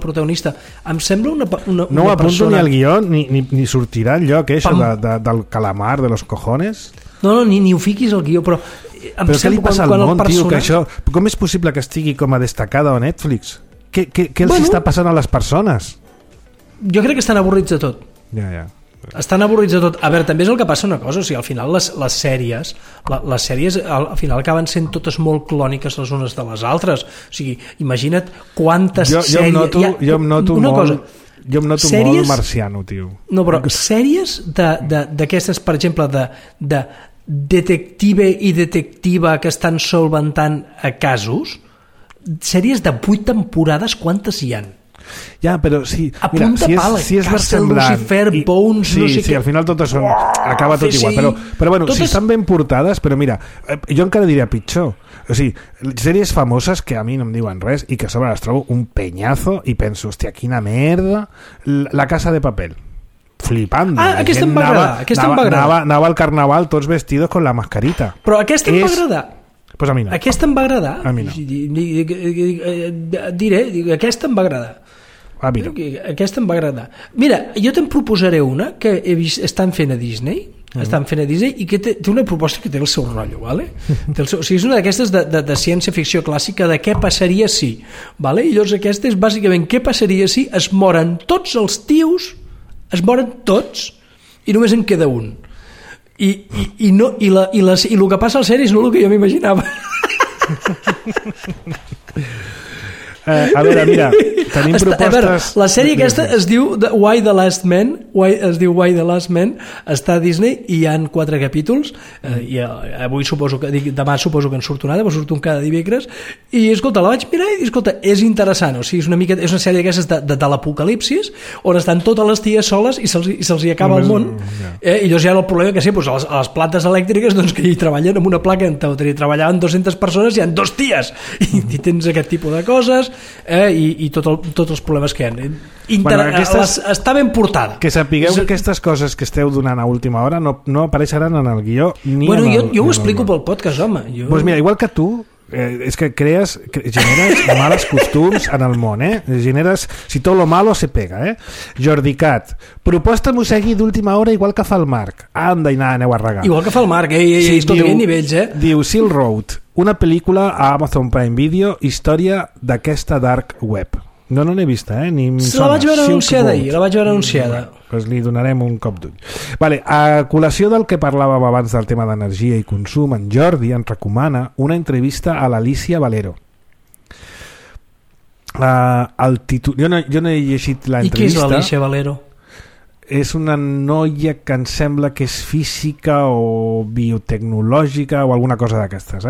protagonista em sembla una persona... No ho apunto ni al guió, ni sortirà enlloc, això del calamar, de los cojones. No, ni ho fiquis al guió, però... Però què li passa al món, tio, que això... Com és possible que estigui com a destacada a Netflix? Què els està passant a les persones? Jo crec que estan avorrits de tot. Ja. Estan avorrits de tot. A veure, també és el que passa una cosa, o sigui, al final les sèries al final acaben sent totes molt clòniques les unes de les altres. O sigui, imagina't quantes sèries... Jo em noto molt marciano, tio. No, però sèries d'aquestes, per exemple, de detective i detectiva que estan solventant casos, sèries de 8 temporades, quantes hi han? Ja, però sí, a punta pala, si és versemblant, Lucifer, Bones, no sé què. Al final totes són, acaba tot igual, però bueno, si estan ben portades, però mira, jo encara diria pitjor, o sigui, sèries famoses que a mi no em diuen res i que a sobre les trobo un peñazo i penso, hòstia, quina merda. La Casa de Papel, flipando. Aquesta em va agradar. Anava al carnaval tots vestidos con la mascarita. Però aquesta em va agradar. Pues a mi no. Aquesta em va agradar. A mi no. Diré, aquesta em va agradar. A mi no. Aquesta em va agradar. Mira, jo te'n proposaré una que he vist, estan fent a Disney, i que té una proposta que té el seu rotllo, ¿vale? O sigui, és una d'aquestes de ciència-ficció clàssica de què passaria si, ¿vale? I llavors aquesta és bàsicament què passaria si es moren tots els tios, es moren tots i només en queda un. I el que passa a la sèrie és no el que jo m'imaginava. A veure, mira, tenim propostes... A veure, la sèrie aquesta es diu Why the Last Man, està a Disney i hi ha 4 capítols, i avui demà suposo que en surt una altra, però surt un cada dimecres, i escolta, la vaig mirar i escolta, és interessant, o sigui, és una sèrie d'aquestes de l'apocalipsis, on estan totes les ties soles i se'ls hi acaba el món, i llavors hi ha el problema que sí, a les plantes elèctriques que hi treballen amb una placa, en teoria treballaven 200 persones, hi ha 2 ties, i tens aquest tipus de coses, i tots els problemes que hi ha. Està ben portada. Que sapigueu que aquestes coses que esteu donant a última hora no apareixeran en el guió ni bueno, jo ho explico pel podcast, home. Pues mira, igual que tu, és que generes males costums en el món, generes, si tot lo malo se pega, Jordi Cat, proposta Mossegui d'última hora igual que fa el Marc. Anda i aneu a regar. Igual que fa el Marc, escolta, hi ha nivells, Diu Silk Road, una pel·lícula a Amazon Prime Video, història d'aquesta dark web. No n'he vista, ni em sona. La vaig veure anunciada. Pues li donarem un cop d'ull. Vale, a col·lació del que parlàvem abans del tema d'energia i consum, en Jordi ens recomana una entrevista a l'Alicia Valero. Jo no he llegit l'entrevista. I qui és l'Alicia Valero? És una noia que em sembla que és física o biotecnològica o alguna cosa d'aquestes,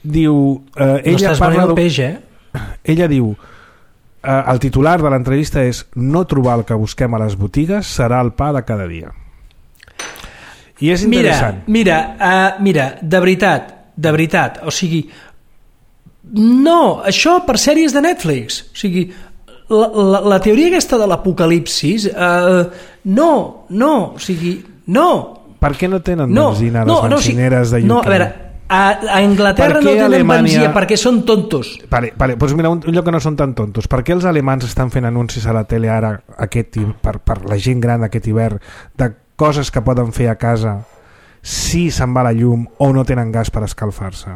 Diu... ella estàs venent el peix, Ella diu... el titular de l'entrevista és no trobar el que busquem a les botigues serà el pa de cada dia. I és interessant. Mira, de veritat, o sigui, no, això per sèries de Netflix, o sigui, la teoria aquesta de l'apocalipsis, no, o sigui, no. Per què no tenen benzina a les benzineres de UK? No, a veure, a Anglaterra no tenen benzina perquè són tontos. Vale, doncs mira, un lloc que no són tan tontos. Per què els alemans estan fent anuncis a la tele ara per la gent gran aquest hivern de coses que poden fer a casa si se'n va la llum o no tenen gas per escalfar-se?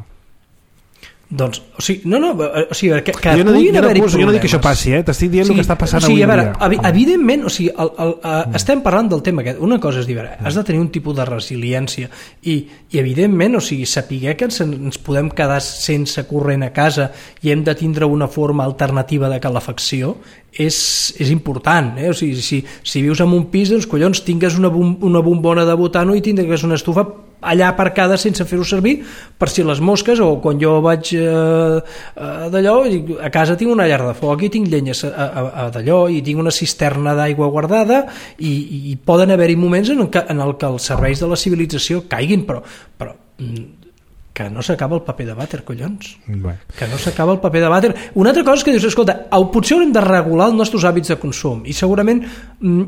Doncs, o sigui, que jo no puguin haver-hi problemes. Jo no dic que això passi, t'estic dient el que està passant avui en dia. Evidentment, estem parlant del tema aquest. Una cosa és dir, has de tenir un tipus de resiliència i evidentment, saber que ens podem quedar sense corrent a casa i hem de tindre una forma alternativa de calefacció és important, si vius en un pis, doncs collons, tingues una bombona de butano i tindres una estufa allà aparcada sense fer-ho servir per si les mosques, o quan jo vaig d'allò, a casa tinc una llar de foc i tinc llenyes d'allò i tinc una cisterna d'aigua guardada i poden haver-hi moments en el que els serveis de la civilització caiguin, però que no s'acaba el paper de vàter, collons. Que no s'acaba el paper de vàter. Una altra cosa és que dius, escolta, potser haurem de regular els nostres hàbits de consum i segurament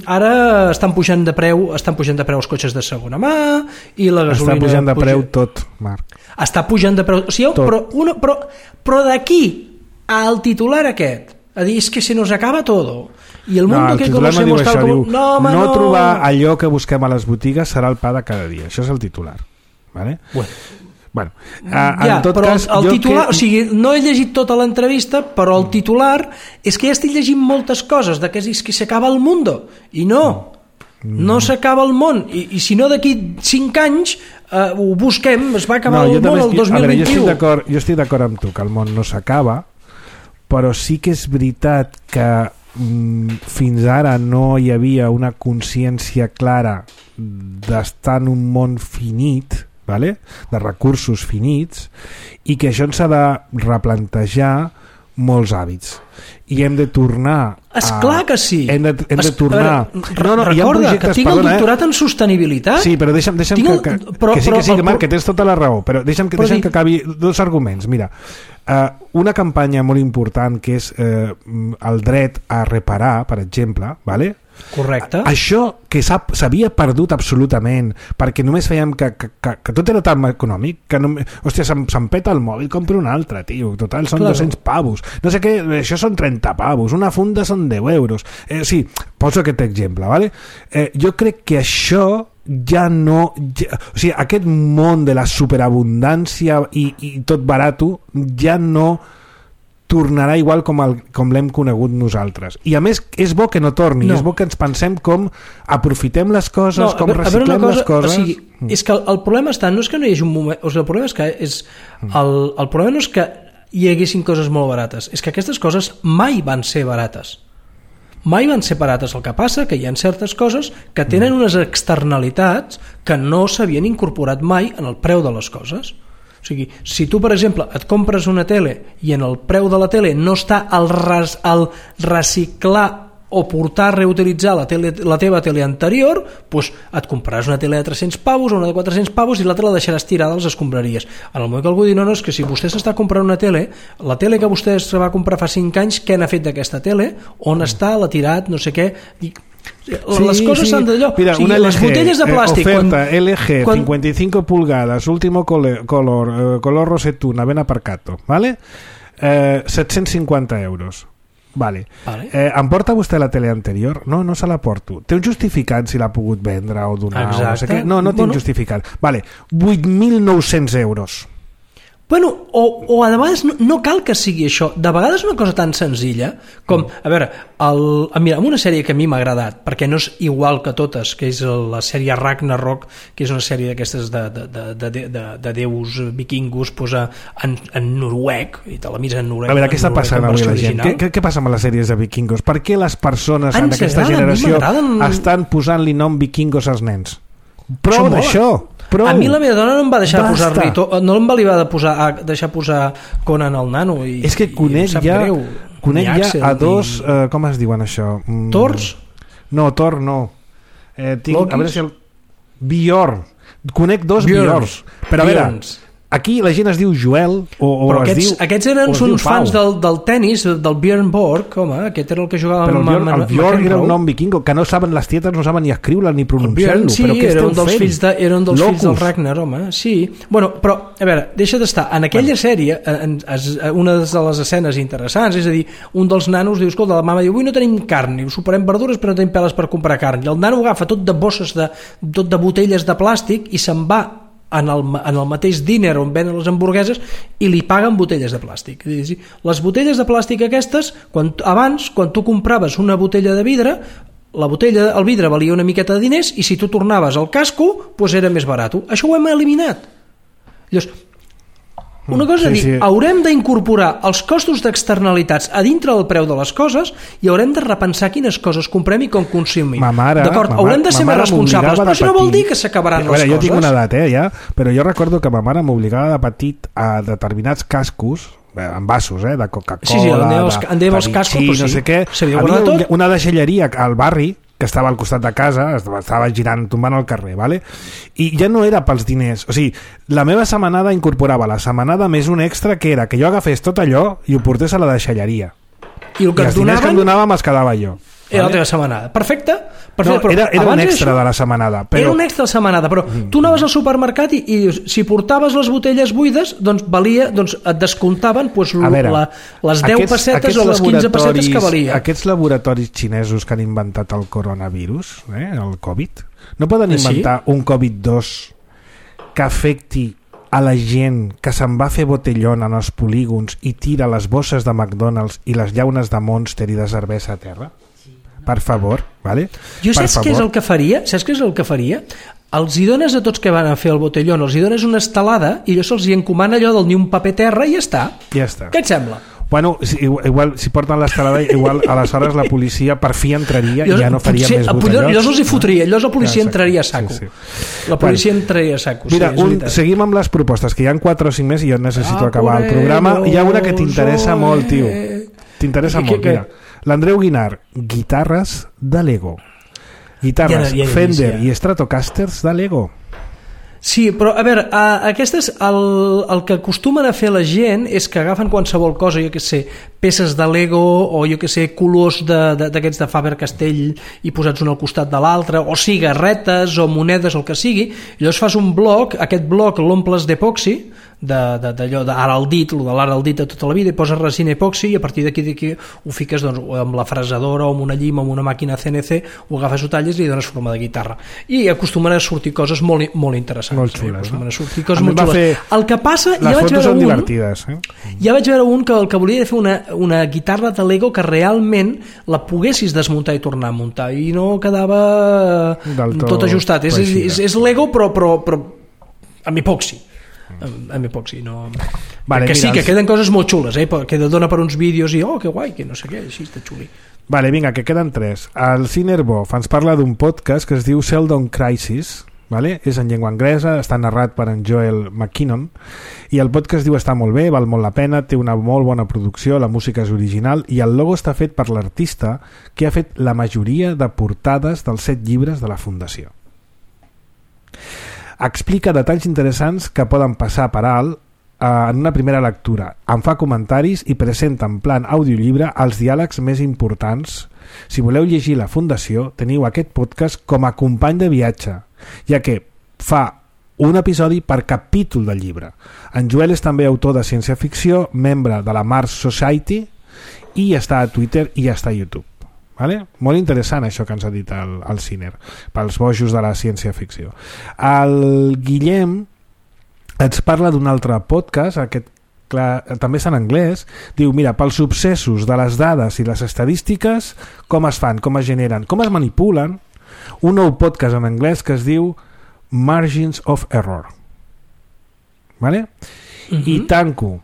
ara estan pujant de preu els cotxes de segona mà i la gasolina... Està pujant de preu tot, Marc. Està pujant de preu... Però d'aquí al titular aquest, a dir, és que se nos acaba todo... I el mundo que conocemos tal como... No trobar allò que busquem a les botigues serà el pa de cada dia. Això és el titular. Vale? Bueno, en tot cas, el titular, no he llegit tota l'entrevista, però el titular és que ja estic llegint moltes coses de que és que s'acaba el mundo, i no s'acaba el món, i si no d'aquí 5 anys ho busquem, es va acabar el món el 2021. Jo estic d'acord amb tu que el món no s'acaba, però sí que és veritat que fins ara no hi havia una consciència clara d'estar en un món finit, vale? De recursos finits, i que això ens ha de replantejar molts hàbits i hem de tornar esclar que sí, hem de tornar recorda que tinc el doctorat en sostenibilitat, sí, però deixa'm que sí, Marc, que tens tota la raó, però deixa'm que acabi dos arguments. Mira, una campanya molt important que és el dret a reparar, per exemple, vale? Correcte. Això que s'havia perdut absolutament perquè només fèiem que tot era tan econòmic que hòstia, se'm peta el mòbil, compro un altre, tio, total són 200 pavos, no sé què, això són 30 pavos, una funda són 10 euros, sí, poso aquest exemple, vale? Jo crec que això ja no, o sigui, aquest món de la superabundància i tot barato ja no tornarà igual com l'hem conegut nosaltres, i a més és bo que no torni, és bo que ens pensem com aprofitem les coses, com reciclem les coses. O sigui, és que el problema està, no és que no hi hagi un moment, o sigui, el problema és que el problema no és que hi haguessin coses molt barates, és que aquestes coses mai van ser barates. Mai van ser barates. El que passa que hi ha certes coses que tenen unes externalitats que no s'havien incorporat mai en el preu de les coses. O sigui, si tu, per exemple, et compres una tele i en el preu de la tele no està el reciclar o portar a reutilitzar la teva tele anterior, doncs et compraràs una tele de 300 pavos o una de 400 pavos i l'altra la deixaràs tirada als escombraries. En el moment que algú diu, no, és que si vostè s'està comprant una tele, la tele que vostè es va comprar fa 5 anys, què n'ha fet d'aquesta tele? On està? L'ha tirat? No sé què... les coses s'han d'allò. Mira, una LG, les botelles de plàstic oferta LG 55 pulgadas, último color rosetuna, ben aparcato, ¿vale? 750 euros. Vale. Em porta vostè la tele anterior? No se la porto. Té un justificant si l'ha pogut vendre o donar? O no sé què? No tinc justificant. Vale, 8.900 euros. Bueno, o a vegades no cal que sigui això. De vegades una cosa tan senzilla com, a veure, mira, una sèrie que a mi m'ha agradat, perquè no és igual que totes, que és la sèrie Ragnarok, que és una sèrie d'aquestes de déus vikingos en noruec, i te la mires en noruec. A veure, què està passant avui la gent? Què passa amb les sèries de vikingos? Per què les persones en aquesta generació estan posant-li nom vikingos als nens? Prou d'això! A mi la meva dona no em va deixar posar-li no em va deixar posar Conan el nano i, és que conec ja a dos com es diuen això? Tors? No, Thor no a veure si Bjorn, conec dos Bjorns, però a veure, aquí la gent es diu Joel però aquests eren uns fans del tennis, del Björn Borg, home, aquest era el que jugava però el Bjorn era un nom vikingo que no saben, les tietes no saben ni escriure ni pronunciar-lo. Sí, era un dels fills del Ragnar, home, sí. Bueno, però, a veure, deixa d'estar en aquella sèrie, una de les escenes interessants, és a dir, un dels nanos diu, escolta, la mama diu, avui no tenim carn, i soparem verdures però no tenim peles per comprar carn, i el nano agafa tot de bosses tot de botelles de plàstic i se'n va en el mateix diner on venen les hamburgueses i li paguen botelles de plàstic. Les botelles de plàstic aquestes, abans, quan tu compraves una botella de vidre, el vidre valia una miqueta de diners i si tu tornaves al casco, doncs era més barat. Això ho hem eliminat. Llavors, una cosa és dir, haurem d'incorporar els costos d'externalitats a dintre del preu de les coses i haurem de repensar quines coses comprem i com consumim. D'acord, haurem de ser més responsables, però això no vol dir que s'acabaran les coses. Jo tinc una edat, ja, però jo recordo que ma mare m'obligava de petit a determinats cascos, envasos, de Coca-Cola, de Vichy, no sé què. Havia una deixalleria al barri que estava al costat de casa, estava girant, tombant al carrer, ¿vale? I ja no era pels diners, o sigui, la meva setmanada incorporava la setmanada més un extra que era que jo agafés tot allò i ho portés a la deixalleria. I els diners que em donava me'ls quedava jo. Era la teva setmanada. Perfecte. No, era un extra de la setmanada. Era un extra de la setmanada, però tu anaves al supermercat i si portaves les botelles buides, doncs et descomptaven les 10 pessetes o les 15 pessetes que valia. Aquests laboratoris xinesos que han inventat el coronavirus, el Covid, no poden inventar un Covid-2 que afecti a la gent que se'n va fer botellón en els polígons i tira les bosses de McDonald's i les llaunes de Monster i de cervesa a terra? Per favor, ¿vale? Jo saps què és el que faria? Els hi dones a tots que van a fer el botellón, els hi dones una estelada i allò se'ls hi encomana allò del ni un paper terra i ja està. Ja està. Què et sembla? Bueno, igual si porten l'estelada, igual aleshores la policia per fi entraria i ja no faria més botellons. Llavors els hi fotria, llavors la policia entraria a saco. La policia entraria a saco. Mira, seguim amb les propostes, que hi ha 4 o 5 més i jo necessito acabar el programa. Hi ha una que t'interessa molt, tio. T'interessa molt, mira. L'Andreu Guinar, guitarres de Lego. Guitarres Fender i Stratocasters de Lego. Sí, però a veure, aquestes, el que acostumen a fer la gent és que agafen qualsevol cosa, jo què sé, peces de Lego o jo què sé, colors d'aquests de Faber-Castell i posats un al costat de l'altre, o cigarretes o monedes, el que sigui, i llavors fas un bloc, aquest bloc l'omples d'epoxi, d'allò d'ara al dit, de l'ara al dit de tota la vida, i poses resina epoxi i a partir d'aquí ho fiques amb la fresadora o amb una llima o amb una màquina CNC, ho agafes, ho talles i li dones forma de guitarra. I acostumen a sortir coses molt, molt interessants. Molt xules, a sortir coses molt xules. El que passa, les fotos són divertides. Ja vaig veure un que el que volia fer una guitarra de Lego que realment la poguessis desmuntar i tornar a muntar i no quedava tot ajustat. És Lego però amb epoxi. Amb epoxi, no... Vale, que sí, que queden coses molt xules, que dona per uns vídeos i que guai, que no sé què, així està xuli. Vale, vinga, que queden 3. El Cinerbof ens parla d'un podcast que es diu Sheldon Crisis, vale? És en llengua anglesa, està narrat per en Joel McKinnon i el podcast diu està molt bé, val molt la pena, té una molt bona producció, la música és original i el logo està fet per l'artista que ha fet la majoria de portades dels 7 llibres de la Fundació. Explica detalls interessants que poden passar per alt en una primera lectura. En fa comentaris i presenta en plan audiollibre els diàlegs més importants. Si voleu llegir la Fundació, teniu aquest podcast com a company de viatge, ja que fa un episodi per capítol del llibre. En Joel és també autor de ciència-ficció, membre de la Mars Society i està a Twitter i està a YouTube. Vale? Molt interessant això que ens ha dit el Ciner pels bojos de la ciència-ficció. El Guillem ens parla d'un altre podcast, aquest també és en anglès, diu, mira, pels obsessos de les dades i les estadístiques, com es fan, com es generen, com es manipulen, un nou podcast en anglès que es diu Margins of Error. Vale? I tanco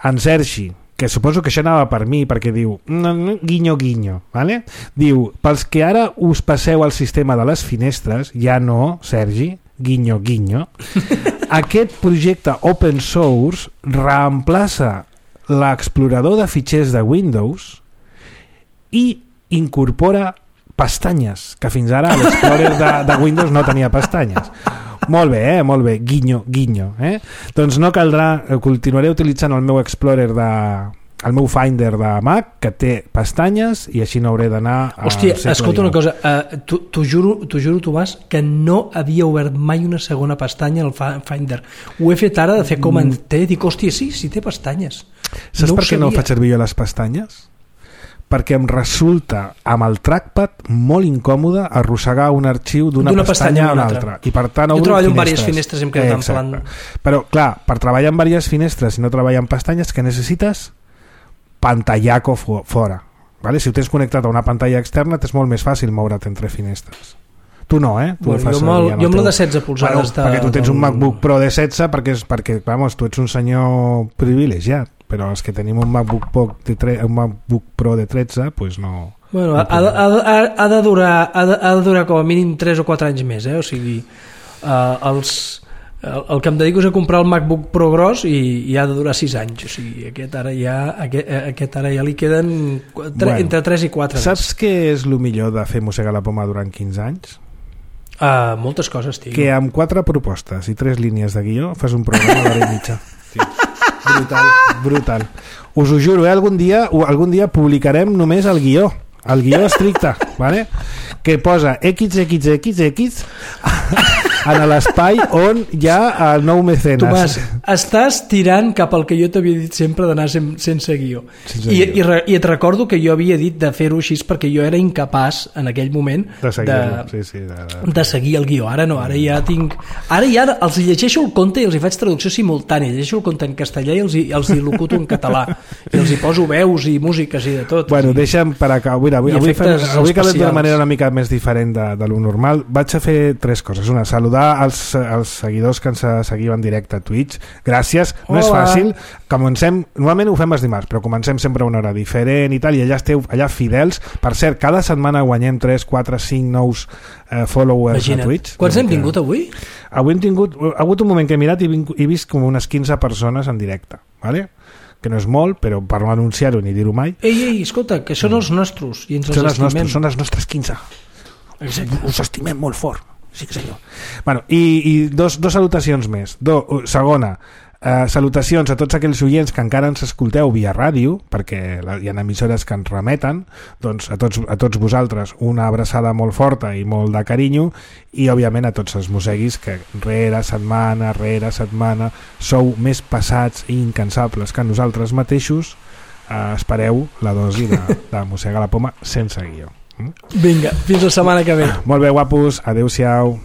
en Sergi, que suposo que això anava per mi, perquè diu guinyo guinyo, ¿vale? Diu, pels que ara us passeu al sistema de les finestres, ja no, Sergi, guinyo guinyo, aquest projecte open source reemplaça l'explorador de fitxers de Windows i incorpora pestanyes, que fins ara l'Explorer de Windows no tenia pestanyes. Molt bé, guinyo, guinyo. Doncs no caldrà, continuaré utilitzant el meu Explorer el meu Finder de Mac, que té pestanyes, i així no hauré d'anar a... Hòstia, escolta una cosa, t'ho juro, Tomàs, que no havia obert mai una segona pestanya al Finder. Ho he fet ara de fer com en té, dic, hòstia, sí té pestanyes. Saps per què no faig servir jo les pestanyes? perquè em resulta amb el trackpad molt incòmode arrossegar un arxiu d'una pestanya a una altra. I per tant, jo treballo en diverses finestres i em quedo tan plan... Però clar, per treballar en diverses finestres i no treballar en pestanyes, què necessites? Pantallaco fora, vale? Si ho tens connectat a una pantalla externa t'és molt més fàcil moure't entre finestres. Tu no, Tu bueno, jo amb la de 16 polzades perquè tu tens un MacBook Pro de 16 perquè vamos, tu ets un senyor privilegiat, però els que tenim un MacBook Pro de 13 pues no... Bueno, ha de durar com a mínim 3 o 4 anys més, o sigui el que em dedico és a comprar el MacBook Pro gros i ha de durar 6 anys, o sigui, aquest ara ja li queden entre 3 i 4 anys. Saps què és el millor de fer Mossegar la Poma durant 15 anys? Moltes coses, tio. Que amb 4 propostes i 3 línies de guió fas un programa d'hora i mitja. Sí. Brutal. Us ho juro, algun dia publicarem només el guió estricte, ¿vale? Que posa XXXX en l'espai on hi ha el nou mecenes. Tomàs, estàs tirant cap al que jo t'havia dit sempre d'anar sense guió. I et recordo que jo havia dit de fer-ho així perquè jo era incapaç en aquell moment de seguir el guió. Ara no, ara ja els llegeixo el conte i els hi faig traducció simultània, llegeixo el conte en castellà i els hi locuto en català i els hi poso veus i músiques i de tot. Bueno, deixa'm per acabar. Avui acabem d'una manera una mica més diferent de lo normal. Vaig a fer 3 coses. Una, saludar als seguidors que ens seguiu en directe a Twitch. Gràcies. No és fàcil. Normalment ho fem els dimarts, però comencem sempre a una hora diferent i tal, i allà esteu allà fidels. Per cert, cada setmana guanyem 3, 4, 5 nous followers. Imagina't. A Twitch. Quants hem tingut avui? Avui ha hagut un moment que he mirat i he vist com unes 15 persones en directe, ¿vale? Que no és molt, però per no anunciar-ho ni dir-ho mai. Ei, escolta, que són els nostres i ens els estimem. Són els nostres 15. Us estimem molt fort. Sí, senyor. Bueno, i dos salutacions més. Segona, salutacions a tots aquells oients que encara ens escolteu via ràdio, perquè hi ha emissores que ens remeten. Doncs a tots vosaltres una abraçada molt forta i molt de carinyo, i òbviament a tots els mosseguis que rere setmana sou més passats i incansables que nosaltres mateixos. Espereu la dosi de Mossegar la Poma sense guió. Vinga, fins la setmana que ve. Molt bé, guapos, adeu-siau.